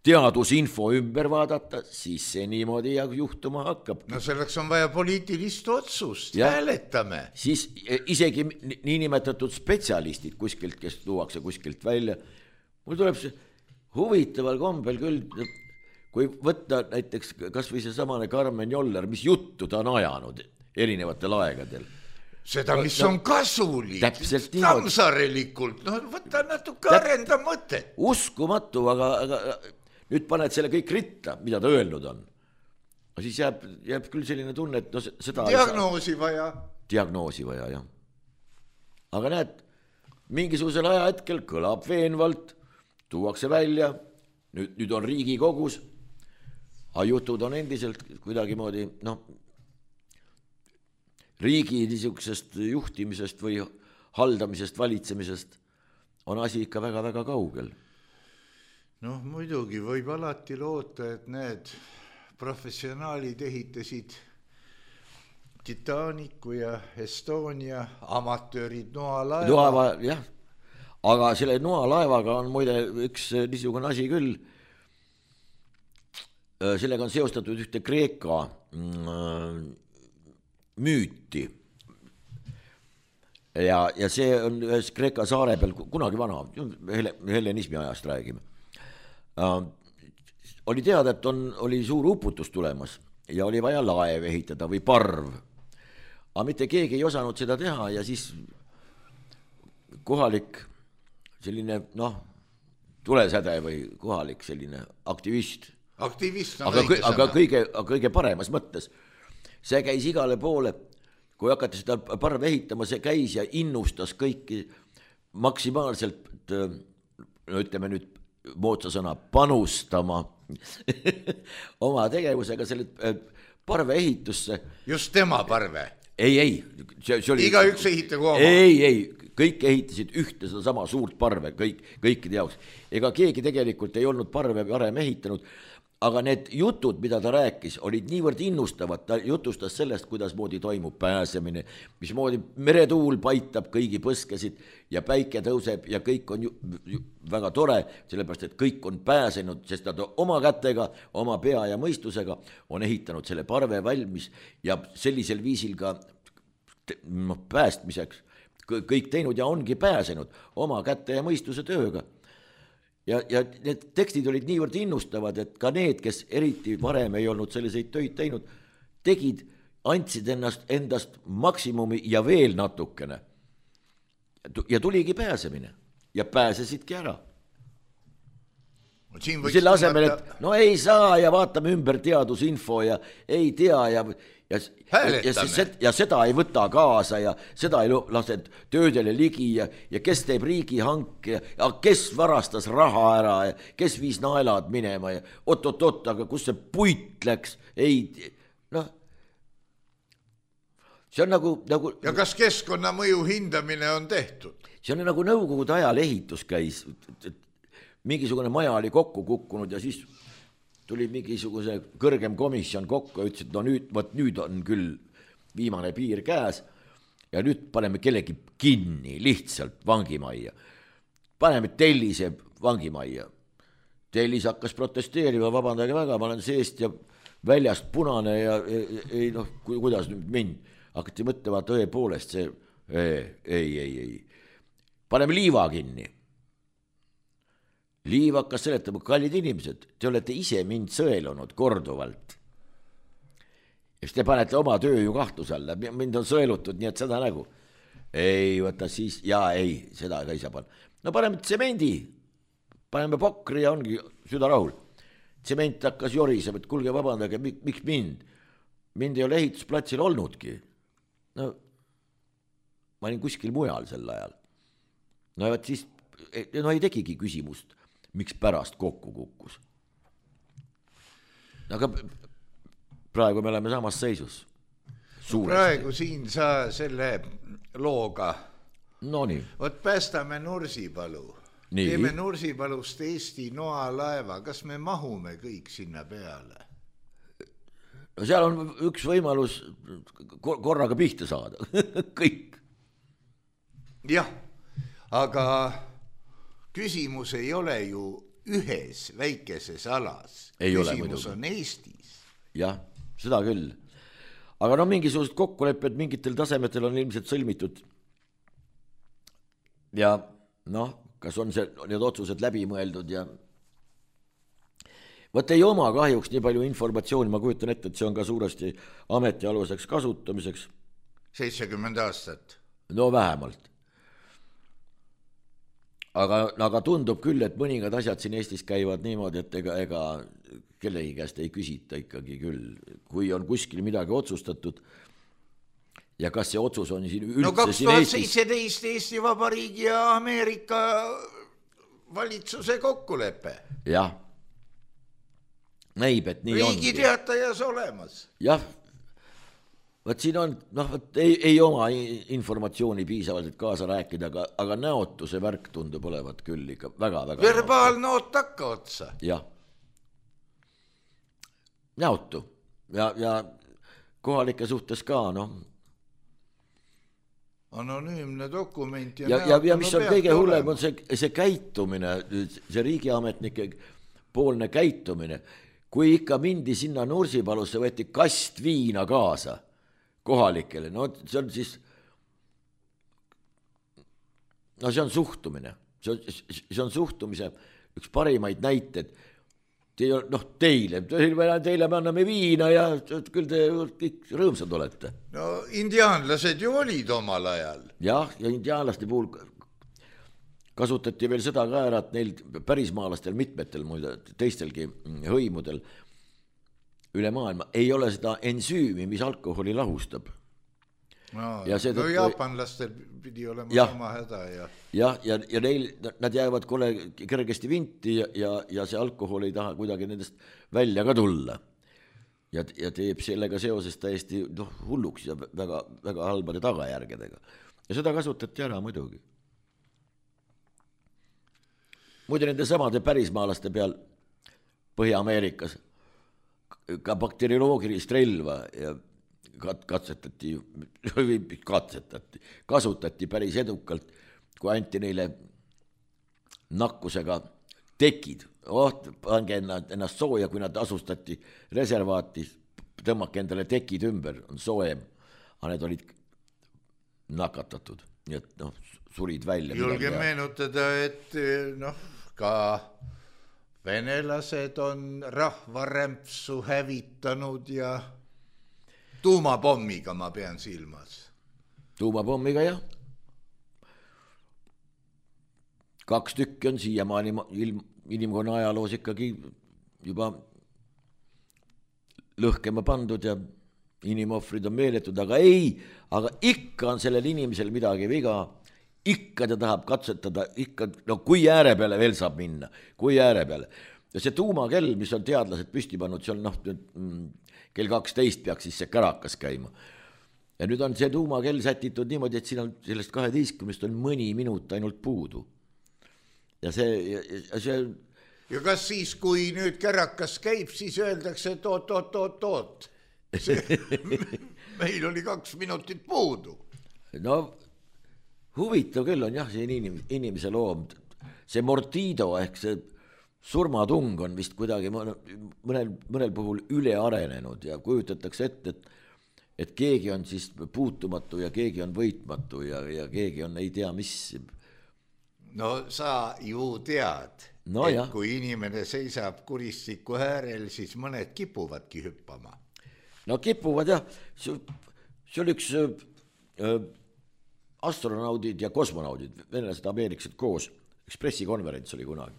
teadusinfo ümber vaadata, siis see niimoodi juhtuma hakkab. No selleks on vaja poliitilist otsust, ja, hääletame. Siis isegi niinimetatud spetsialistid kuskilt, kes tuuakse kuskilt välja. Mul tuleb see huvitaval kombel küll, kui võtta näiteks kas või see samane Karmen Joller, mis juttu ta on ajanud erinevatel aegadel. Seda, mis no, on kasulik, tammsarelikult, no võta natuke Täp... arenda mõtet. Uskumatu, aga, aga nüüd paned selle kõik ritta, mida ta öelnud on. Siis jääb, jääb küll selline tunne, et no seda... Diagnoosi vaja. Diagnoosi vaja, jah. Aga näed, mingisugusel ajahetkel kõlab veenvalt, tuuakse välja, nüüd, nüüd on Riigikogus, aga jutud on endiselt kuidagi moodi, noh, riigi niisugusest juhtimisest või haldamisest, valitsemisest on asi ikka väga-väga kaugel. Noh, muidugi võib alati loota, et need professionaalid ehitasid Titanicu ja Estonia, amatöörid noalaeva. Noalaeva, jah. Aga selle noalaevaga on muide üks niisugune asi küll. Sellega on seostatud ühte Kreeka müüti. Ja, ja see on ühes Kreeka saare peal kunagi vana, hellenismi ajast räägime. Uh, oli teada, et on, oli suur uputus tulemas ja oli vaja laev ehitada või parv. Aga mitte keegi ei osanud seda teha ja siis kohalik selline, noh, tulesäde või kohalik selline aktivist. Aktivist on aga, aga kõige, kõige paremas mõttes. See käis igale poole, kui hakati seda parve ehitama, see käis ja innustas kõiki maksimaalselt, no ütleme nüüd moodsa sõna, panustama oma tegevusega selle parve ehitusse. Just tema parve? Ei, ei. See, see oli... Iga üks ehitagu oma? Ei, ei, kõik ehitasid ühte seda sama suurt parve, kõik, kõikide jaoks. Ega keegi tegelikult ei olnud parve varem ehitanud, aga need jutud, mida ta rääkis, olid niivõrd innustavad, ta jutustas sellest, kuidas moodi toimub pääsemine, mis moodi meretuul paitab kõigi põskesid ja päike tõuseb ja kõik on ju, ju väga tore, sellepärast, et kõik on pääsenud, sest nad oma kätega, oma pea ja mõistusega on ehitanud selle parve valmis ja sellisel viisil ka no, päästmiseks kõik teinud ja ongi pääsenud oma kätte ja mõistuse tööga. Ja, ja need tekstid olid niivõrd innustavad, et ka need, kes eriti varem ei olnud selliseid töid teinud, tegid, andsid ennast, endast maksimumi ja veel natukene. Ja tuligi pääsemine ja pääsesidki ära. Selle asemel, et no ei saa ja vaatame ümber teadusinfo ja ei tea ja... Ja, ja, ja, ja seda ei võta kaasa ja seda ei lase töödele ligi ja, ja kes teeb riigihanke ja kes varastas raha ära ja kes viis naelad minema ja oot-oot-oot, aga kus see puit läks, ei, noh, see on nagu, nagu... Ja kas keskkonnamõju hindamine on tehtud? See on nagu nõukogude ajal ehitus käis, mingisugune maja oli kokku kukkunud ja siis... tuli mingisuguse kõrgem komisjon kokku ja ütles, et no nüüd, võt nüüd on küll viimane piir käes ja nüüd paneme kellegi kinni lihtsalt vangimajja. Paneme Tellise vangimajja. Tellis hakkas protesteerima, vabandage väga, ma olen seest ja väljast punane ja ei noh, kuidas nüüd mind. Hakati mõtlema tõepoolest see, ei, ei, ei, ei. Paneme Liiva kinni. Liiv hakkas seletama, kallid inimesed, te olete ise mind sõelunud korduvalt. Ja siis te panete oma töö ju kahtluse alla, mind on sõelutud, nii et seda nägu. Ei, võta siis, jaa, ei, seda ka ei saa panna. No paneme tsemendi, paneme pokri ja ongi süda rahul. Tsement hakkas jorisema, et kulge vabandage, miks mind? Mind ei ole ehitusplatsil olnudki. No, ma olin kuskil mujal sel ajal. No ja siis, no ei tegigi küsimust. Miks pärast kokku kukkus. Aga praegu me oleme samas seisus. Suuresti. Praegu siin sa selle looga. No nii. Võt päästame Nursipalu. Nii. Teeme Nursipalust Eesti noalaeva. Kas me mahume kõik sinna peale? No seal on üks võimalus korraga pihta saada. Kõik. Jah, aga... Küsimus ei ole ju ühes väikeses alas. Ei Küsimus ole, on Eestis. Jah, seda küll. Aga no mingisugused kokkulepped mingitel tasemetel on ilmselt sõlmitud. Ja noh, kas on see, need otsused läbi mõeldud ja... Võt ei oma kahjuks nii palju informatsiooni, ma kujutan ette, et see on ka suuresti ametialuseks kasutamiseks. seitsekümmend aastat. No vähemalt. Aga, aga tundub küll, et mõningad asjad siin Eestis käivad niimoodi, et ega, ega kellegi käest ei küsita ikkagi küll. Kui on kuskil midagi otsustatud ja kas see otsus on siin üldse no, kaks tuhat seitseteist Eesti Vabariigi ja Ameerika valitsuse kokkulepe. Jah. Näib, et nii on. Riigi teatajas olemas. Jah. Võt siin on, noh, võt ei, ei oma informatsiooni piisavalt, et kaasa rääkida, aga, aga näotu see värk tundub olevat küll ikka väga, väga verbaalnoot takka otsa. Jah. Näotu. Ja, ja kohalike suhtes ka, noh. Anonüümne dokument. Ja, ja, ja mis on kõige hullem, on see, see käitumine, see riigiametnike poolne käitumine. Kui ikka mindi sinna Nursipalusse, võeti kast viina kaasa kohalikele, no see on siis, no see on suhtumine, see on, see on suhtumise üks parimaid näited, Te, noh teile, teile me anname viina ja küll te kõik rõõmsad olete. No indiaanlased ju olid omal ajal. Jah, ja indiaanlaste puhul kasutati veel seda ka ära, et neil pärismaalastel mitmetel muide, teistelgi hõimudel üle maailma ei ole seda ensüümi, mis alkoholi lahustab. no, no jaapanlastel pidi olema ja, sama häda ja jah, ja, ja neil, nad jäävad kole kergesti vinti ja, ja, ja see alkohol ei taha kuidagi nendest välja ka tulla ja, ja teeb sellega seoses täiesti noh, hulluks ja väga, väga halbade tagajärgedega ja seda kasutati ära muidugi. Muidu nende samade pärismaalaste peal Põhja-Ameerikas ka bakterioloogilist relva ja katsetati, katsetati, kasutati päris edukalt, kui anti neile nakkusega tekid. Oh, pange ennast sooja, kui nad asustati reservaati, tõmmake endale tekid ümber, on soojem, aga need olid nakatatud, nii et noh, surid välja. Julge meenutada, et noh, ka venelased on rahvarämpsu hävitanud ja tuumapommiga ma pean silmas. Tuumapommiga jah. Kaks tükki on siiamaani inimkonna ajaloos ikkagi juba lõhkema pandud ja inimohvrid on meeletud, aga ei, aga ikka on sellel inimesel midagi viga, ikka ta tahab katsetada, ikka, no kui ääre peale veel saab minna, kui ääre peale. Ja see tuumakell, mis on teadlased püsti pannud, see on noh, kell kaksteist peaks siis see kärakas käima. Ja nüüd on see tuumakell sätitud niimoodi, et siin on sellest kaheteistkümnest on mõni minut ainult puudu. Ja see... Ja, see... ja kas siis, kui nüüd kärakas käib, siis öeldakse, et oot, oot, oot, oot. Meil oli kaks minutit puudu. No huvitav küll on jah, see inim, inimese loom. See mortido ehk see surmatung on vist kuidagi mõnel, mõnel puhul üle arenenud ja kujutatakse ette, et, et keegi on siis puutumatu ja keegi on võitmatu ja, ja keegi on ei tea mis. No sa ju tead, no, et jah. Kui inimene seisab kuristiku äärel, siis mõned kipuvadki hüppama. No kipuvad jah, see oli üks äh, astronaudid ja kosmonaudid, venelased, ameeriklased koos, üks pressikonverents oli kunagi.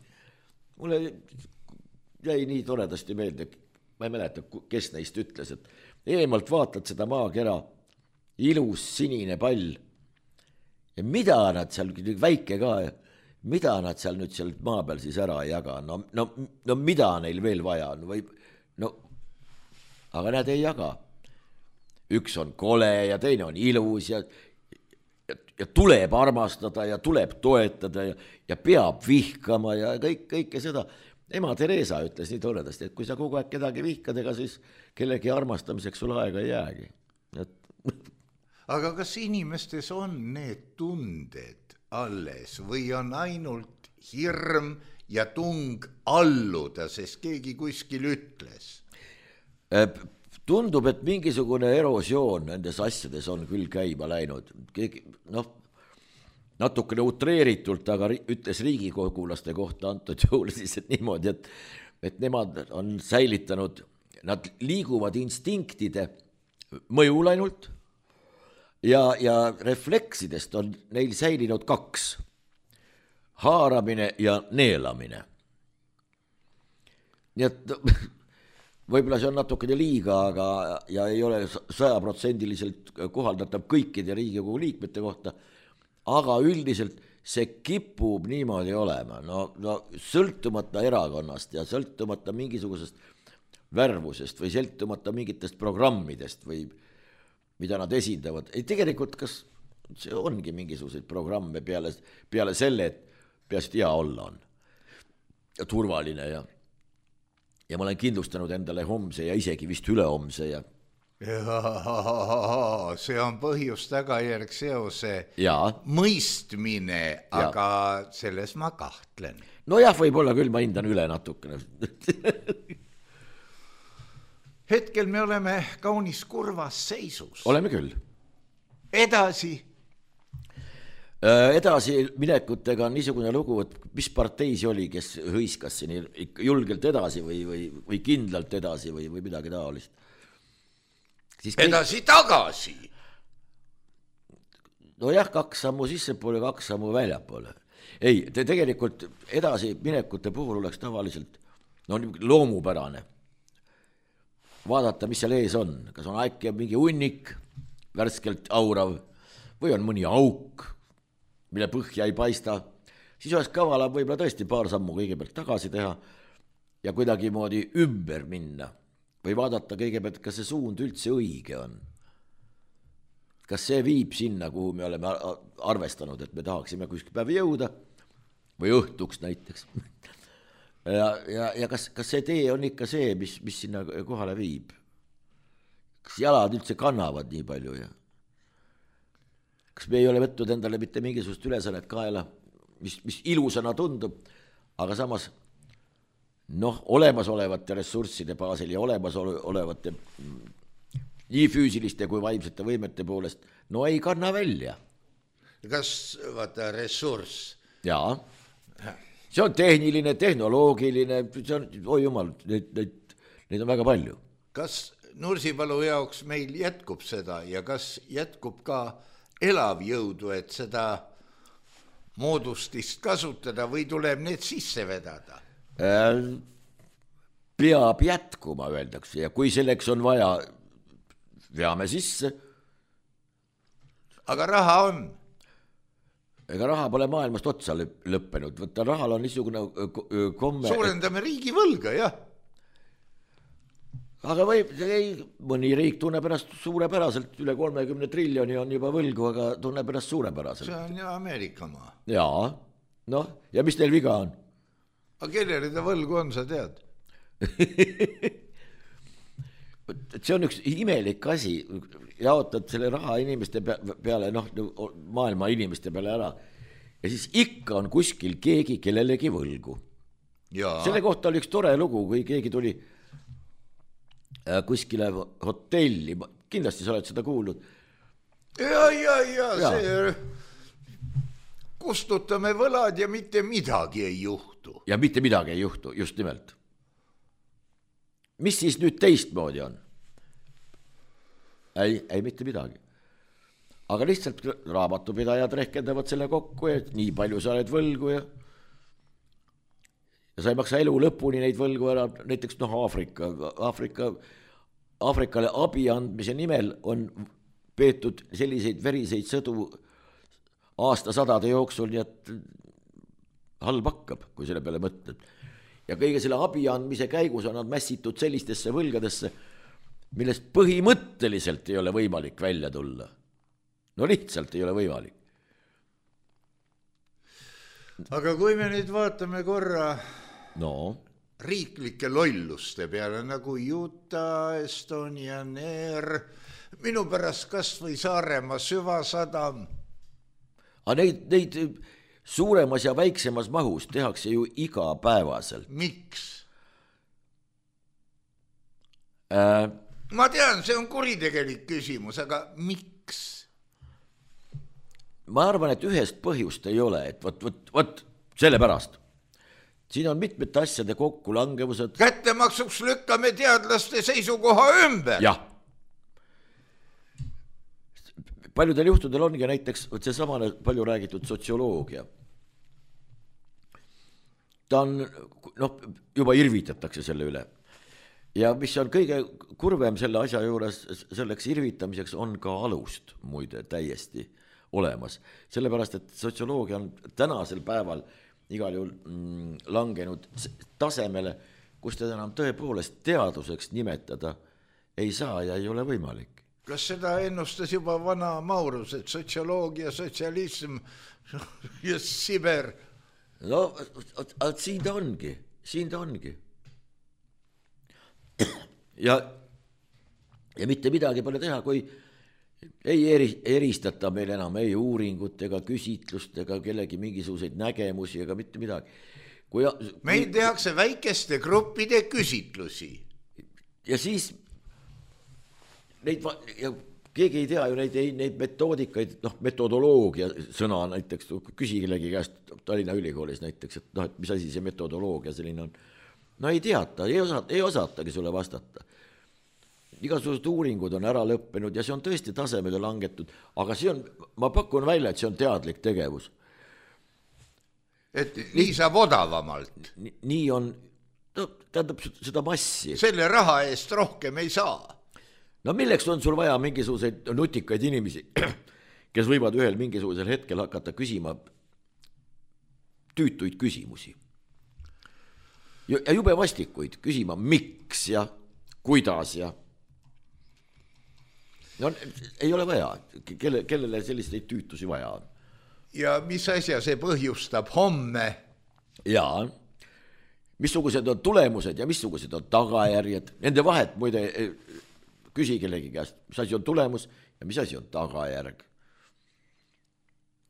Mulle jäi nii toredasti meelde, ma ei mäleta, kes neist ütles, et eemalt vaatad seda maakera, ilus sinine pall ja mida nad seal, väike ka, mida nad seal nüüd seal maa peal siis ära ei jaga, no, no, no mida neil veel vaja on või, no, aga nad ei jaga. Üks on kole ja teine on ilus ja, ja, ja tuleb armastada ja tuleb toetada ja, ja peab vihkama ja kõik, kõike seda. Ema Teresa ütles nii toredasti, et kui sa kogu aeg kedagi vihkad, ega siis kellegi armastamiseks sul aega ei jäägi. Et... aga kas inimestes on need tunded alles või on ainult hirm ja tung alluda, sest keegi kuskil ütles? Tundub, et mingisugune erosioon nendes asjades on küll käima läinud. Keegi, noh, natukene utreeritult, aga ütles riigikogulaste kohta antud juhul siis et niimoodi, et, et nemad on säilitanud, nad liiguvad instinktide mõjul ainult ja, ja refleksidest on neil säilinud kaks. Haaramine ja neelamine. Nii et võib-olla see on natukene liiga, aga ja ei ole sajaprotsendiliselt kohaldatav kõikide Riigikogu liikmete kohta, aga üldiselt see kipub niimoodi olema, no, no sõltumata erakonnast ja sõltumata mingisugusest värvusest või sõltumata mingitest programmidest või mida nad esindavad. Ei, tegelikult kas see ongi mingisuguseid programme peale, peale selle, et peast hea olla on ja turvaline ja ja ma olen kindlustanud endale homse ja isegi vist ülehomse ja... ja see on põhjus tagajärg seose ja. Mõistmine, aga ja. Selles ma kahtlen. No jah, võib-olla küll ma hindan üle natukene. Hetkel me oleme kaunis kurvas seisus. Oleme küll. Edasi. Edasi minekutega on niisugune lugu, et mis partei see oli, kes hõiskas siin julgelt edasi või, või, või kindlalt edasi või, või midagi taolist. Siis kõik... Edasi tagasi. No jah, kaks sammu sissepoole, kaks sammu väljapoole. Ei, te tegelikult edasi minekute puhul oleks tavaliselt no, loomupärane. Vaadata, mis seal ees on. Kas on äkki mingi unnik, värskelt aurav või on mõni auk, mille põhja ei paista, siis oleks kavalam võib-olla tõesti paar sammu kõigepealt tagasi teha ja kuidagi moodi ümber minna või vaadata kõigepealt, kas see suund üldse õige on. Kas see viib sinna, kuhu me oleme arvestanud, et me tahaksime kuskil päev jõuda või õhtuks näiteks. ja, ja, ja kas, kas see tee on ikka see, mis, mis sinna kohale viib? Kas jalad üldse kannavad nii palju ja kas me ei ole võtnud endale mitte mingisugust ülesannet kaela, mis, mis ilusana tundub, aga samas noh, olemasolevate ressursside baasil ja olemasolevate nii füüsiliste kui vaimsete võimete poolest, no ei kanna välja. Kas vaata ressurss? Jaa, see on tehniline, tehnoloogiline, see on, oi jumal, neid, neid, neid on väga palju. Kas Nursipalu jaoks meil jätkub seda ja kas jätkub ka elav jõudu, et seda moodustist kasutada või tuleb need sisse vedada? Peab jätkuma, öeldakse, ja kui selleks on vaja, veame sisse. Aga raha on? Ega raha pole maailmast otsa lõppenud, võtta rahal on niisugune komme. Suurendame riigi võlga, jah. Aga võib, ei, mõni riik tunneb ennast suurepäraselt, üle kolmekümne triljoni on juba võlgu, aga tunneb ennast suurepäraselt. See on ju Ameerika maa. Jaa, noh, ja mis teil viga on? Aga kellele ta võlgu on, sa tead? See on üks imelik asi, jaotad selle raha inimeste peale, noh, maailma inimeste peale ära, ja siis ikka on kuskil keegi kellelegi võlgu. Jaa. Selle kohta oli üks tore lugu, kui keegi tuli kuskile hotelli, kindlasti sa oled seda kuulnud. Ja, ja, ja, ja. See kustutame võlad ja mitte midagi ei juhtu. Ja mitte midagi ei juhtu, just nimelt. Mis siis nüüd teistmoodi on? Ei, ei mitte midagi. Aga lihtsalt raamatupidajad rehkendavad selle kokku, et nii palju sa oled võlgu ja ja sa ei maksa elu lõpuni neid võlgu ära, näiteks noh, Aafrika, Aafrika, Aafrikale abi andmise nimel on peetud selliseid veriseid sõdu aastasadade jooksul, nii et halb hakkab, kui selle peale mõtled. Ja kõige selle abi andmise käigus on nad mässitud sellistesse võlgadesse, millest põhimõtteliselt ei ole võimalik välja tulla. No lihtsalt ei ole võimalik. Aga kui me nüüd vaatame korra no. riiklike lolluste peale, nagu Utah, Estonian Air, minu pärast kas või Saaremaa süvasadam. Aga neid, neid suuremas ja väiksemas mahus tehakse ju igapäevaselt. Miks? Äh, Ma tean, see on kuritegelik küsimus, aga miks? Ma arvan, et ühest põhjust ei ole, et võt, võt, võt, selle pärast. Siin on mitmete asjade kokkulangevused. Kättemaksuks lükkame teadlaste seisukoha ümber. Jah. Paljudel juhtudel ongi näiteks see samane palju räägitud sotsioloogia. Ta on, noh, juba irvitatakse selle üle. Ja mis on kõige kurvem selle asja juures, selleks irvitamiseks on ka alust muide täiesti olemas. Sellepärast, et sotsioloogia on tänasel päeval igal juhul mm, langenud tasemele, kus teda enam tõepoolest teaduseks nimetada ei saa ja ei ole võimalik. Kas seda ennustas juba vana Maurus, et sotsioloogia, sotsialism ja Siber? No, siin ta ongi, siin ta ongi. Ja, ja mitte midagi pole teha, kui ei eri, eristata meil enam ei uuringut ega küsitlust ega kellegi mingisuguseid nägemusi ega mitte midagi. Kui, meil kui, tehakse väikeste gruppide küsitlusi. Ja siis neid, ja keegi ei tea ju neid, neid metoodikaid, noh, metodoloogia sõna näiteks, küsi kellegi käest Tallinna Ülikoolis näiteks, et noh, et mis asi see metodoloogia selline on. No ei teata, ei, osata, ei osatagi sulle vastata. Igasugused uuringud on ära lõppenud ja see on tõesti tasemele langetud, aga see on, ma pakun välja, et see on teadlik tegevus. Et nii saab odavamalt. Nii, nii on, no, tähendab seda massi. Selle raha eest rohkem ei saa. no milleks on sul vaja mingisuguseid nutikaid inimesi, kes võivad ühel mingisugusel hetkel hakata küsima tüütuid küsimusi. Ja jube vastikuid, küsima miks ja kuidas ja no ei ole vaja, kelle, kellele selliseid tüütusi vaja on. Ja mis asja see põhjustab homme? Jaa, missugused on tulemused ja missugused on tagajärjed. Nende vahet muide küsi kellegi käest, mis asi on tulemus ja mis asi on tagajärg.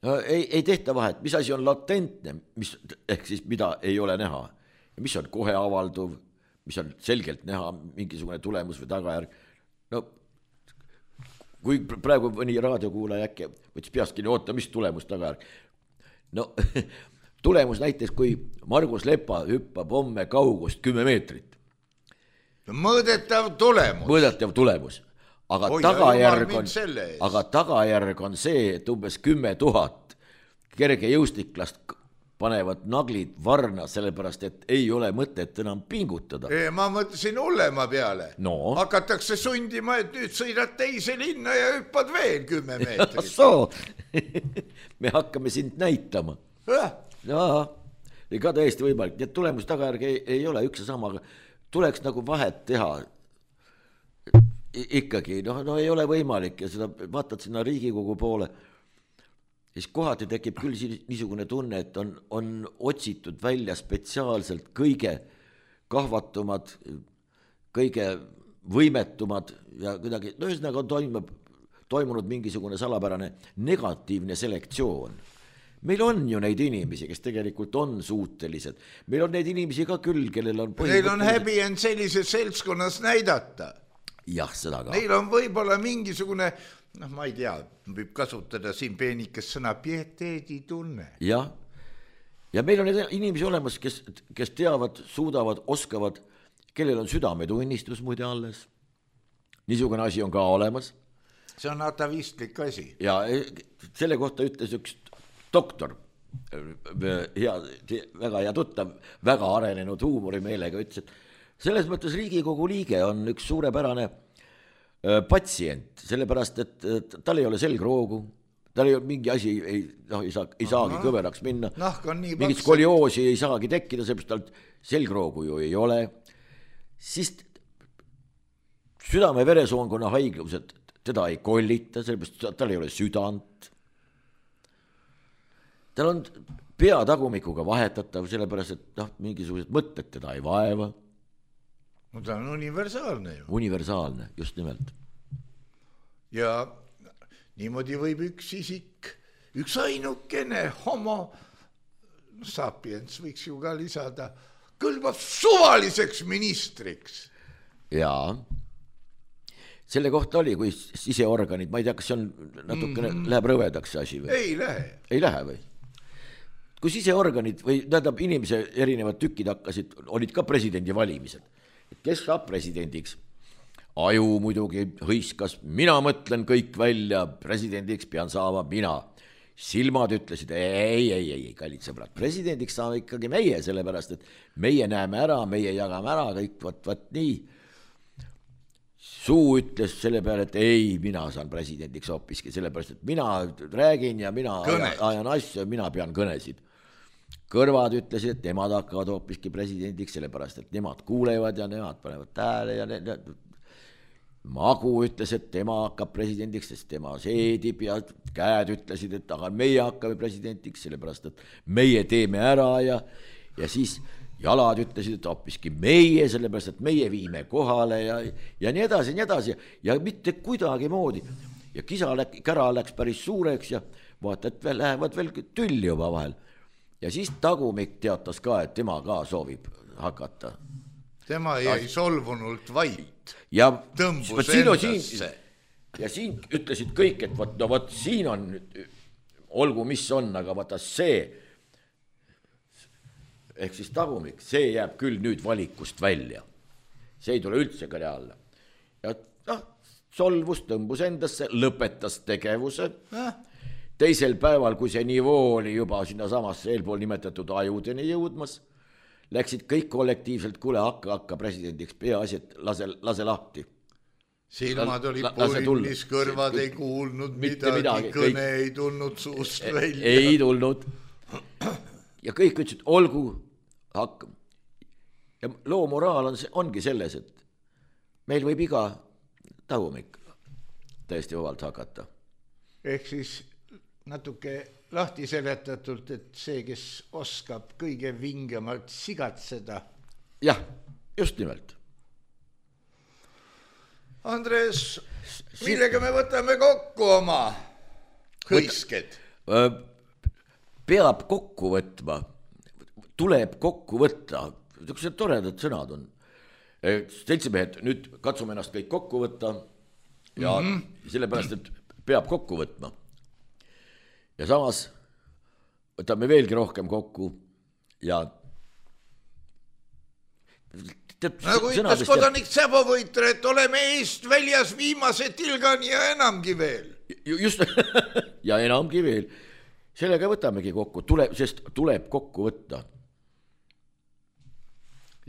No, ei, ei tehta vahet, mis asi on latentne, mis, ehk siis mida ei ole näha. Ja mis on kohe avalduv, mis on selgelt näha mingisugune tulemus või tagajärg. No kui praegu mõni raadiokuulaja äkki võttis peastki nii oota, mis tulemus tagajärg. No tulemus näiteks, kui Margus Lepa hüppab homme kaugust kümme meetrit. Mõõdetav tulemus. Mõõdetav tulemus. Aga, Oi, tagajärg on, aga tagajärg on see, et umbes kümme tuhat kerge jõustiklast panevad naglid varna, sellepärast, et ei ole mõtet enam pingutada. Ei, ma mõtlesin hullema peale. No. Hakatakse sundima, et nüüd sõidad teise linna ja hüppad veel kümme meetrit. So, me hakkame sind näitama. Äh? Jaa, ka täiesti võimalik. Need tulemus tagajärg ei, ei ole üks ja sama, aga tuleks nagu vahet teha. I- ikkagi, no, no ei ole võimalik ja seda vaatad sinna Riigikogu poole. Siis kohati tekib küll niisugune tunne, et on, on otsitud välja spetsiaalselt kõige kahvatumad, kõige võimetumad ja kuidagi, no ühesõnaga on toimub, toimunud mingisugune salapärane negatiivne selektsioon. Meil on ju neid inimesi, kes tegelikult on suutelised. Meil on neid inimesi ka küll, kellel on Neil on häbi end sellises seltskonnas näidata. Jah, seda ka. Neil on võib-olla mingisugune, noh, ma ei tea, võib kasutada siin peenikes sõna pieteedi tunne. Jah, ja meil on inimesi olemas, kes, kes teavad, suudavad, oskavad, kellel on südametunnistus muide alles. Niisugune asi on ka olemas. See on atavistlik asi. Ja selle kohta ütles üks doktor, hea, väga hea tuttav, väga arenenud huumorimeelega ütles, et selles mõttes Riigikogu liige on üks suurepärane patsient, sellepärast, et tal ei ole selgroogu, tal ei ole mingi asi, ei, no, ei, saa, ei saagi Aha. kõveraks minna, mingit skolioosi ei saagi tekkida, sellepärast tal selgroogu ju ei ole, siis südame-veresoonkonna haiglused teda ei kollita, sellepärast tal ei ole südant, tal on pea tagumikuga vahetatav, sellepärast, et noh, mingisugused mõtted teda ei vaeva. No ta on universaalne ju. Universaalne, just nimelt. Ja niimoodi võib üks isik, üks ainukene homo sapiens, võiks ju ka lisada, kõlbab suvaliseks ministriks. Jaa. Selle kohta oli, kui siseorganid, ma ei tea, kas see on natukene, mm-hmm. läheb rõvedaks asi või? Ei lähe. Ei lähe või? Kui siseorganid või tähendab inimese erinevad tükid hakkasid, olid ka presidendi valimised. Kes saab presidendiks? Aju muidugi hõiskas, mina mõtlen kõik välja, presidendiks pean saama mina. Silmad ütlesid, ei, ei, ei, kallid sõbrad, presidendiks saame ikkagi meie, sellepärast, et meie näeme ära, meie jagame ära, kõik võt, võt nii. Suu ütles selle peale, et ei, mina saan presidendiks hoopiski, sellepärast, et mina räägin ja mina Kõned. ajan asju ja mina pean kõnesid. Kõrvad ütlesid, et nemad hakkavad hoopiski presidendiks, sellepärast, et nemad kuulevad ja nemad panevad tähele ja ne, ne, Magu ütles, et tema hakkab presidendiks, sest tema seedib ja käed ütlesid, et aga meie hakkame presidendiks, sellepärast, et meie teeme ära ja, ja siis jalad ütlesid, et hoopiski meie, sellepärast, et meie viime kohale ja, ja nii edasi, nii edasi ja mitte kuidagi moodi. Ja kisa läk, kära läks päris suureks ja vaata, et veel, lähevad veel tülli juba vahel. Ja siis Tagumik teatas ka, et tema ka soovib hakata. Tema jäi solvunult vait. Ja tõmbus endasse. Ja siin ütlesid kõik, et võt, no võt, siin on, olgu mis on, aga vaata see, ehk siis Tagumik, see jääb küll nüüd valikust välja. See ei tule üldse kõne alla. Ja noh, solvus, tõmbus endasse, lõpetas tegevuse. Äh? Teisel päeval, kui see nivoo oli juba sinna samasse eelpool nimetatud ajudeni jõudmas, läksid kõik kollektiivselt, kuule, hakka, hakka presidendiks, peaasi, et lase, lase lahti. silmad olid punnis, kõrvad ei kuulnud midagi, midagi, kõne kõik... ei tulnud suust välja. Ei tulnud. Ja kõik ütlesid, olgu, hakkam. Ja loo moraal on, ongi selles, et meil võib iga tagumik täiesti vabalt hakata. Ehk siis natuke lahti seletatult, et see, kes oskab kõige vingemalt sigatseda. Jah, just nimelt. Andres, millega me võtame kokku oma hõisked? Peab kokku võtma, tuleb kokku võtta, niisugused toredad sõnad on. Seltsimehed, nüüd katsume ennast kõik kokku võtta ja mm-hmm. sellepärast, et peab kokku võtma. Ja samas võtame veelgi rohkem kokku ja nagu ütles kodanik Säbovõitre, et oleme eest väljas viimase tilgani ja enamgi veel. Just, ja enamgi veel. Sellega võtamegi kokku, tuleb, sest tuleb kokku võtta.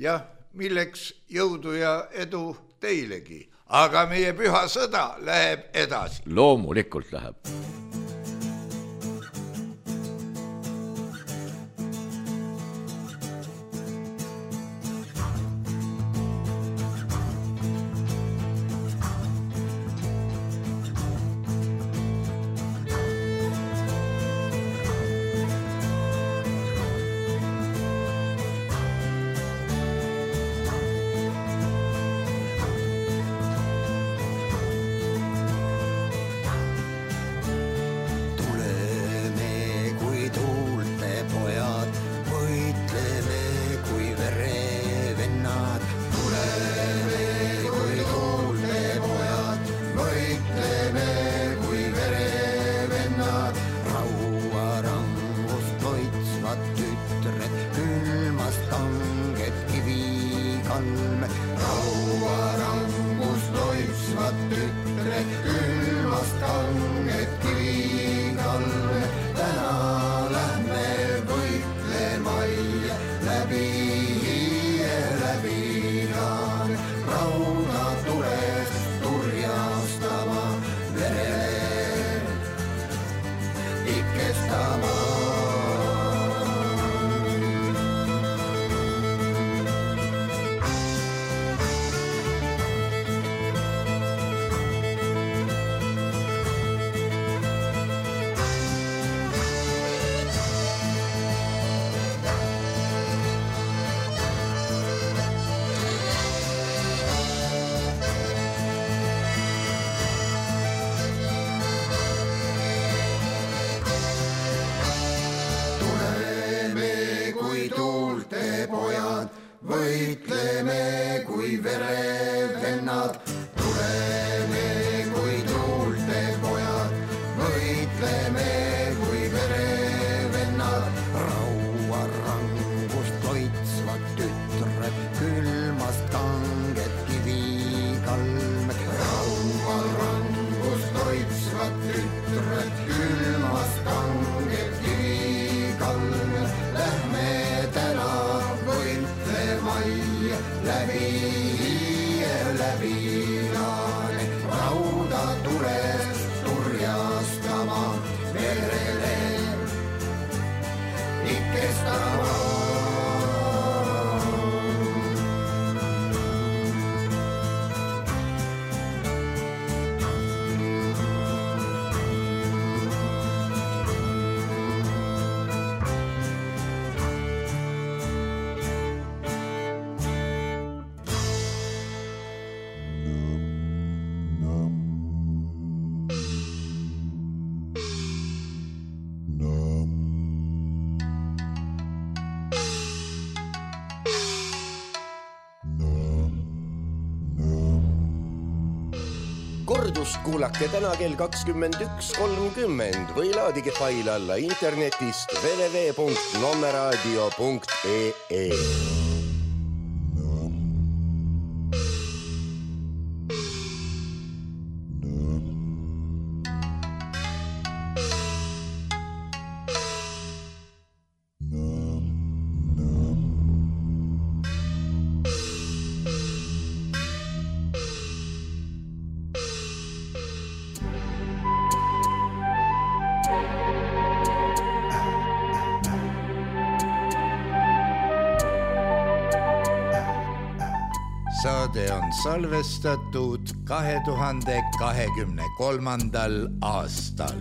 Jah, milleks jõudu ja edu teilegi, aga meie püha sõda läheb edasi. Loomulikult läheb. Kordus kuulake täna kell kakskümmend üks kolmkümmend või laadige fail alla internetist w w w punkt nomeradio punkt e e. saade on salvestatud kahe tuhande kahekümne kolmandal aastal.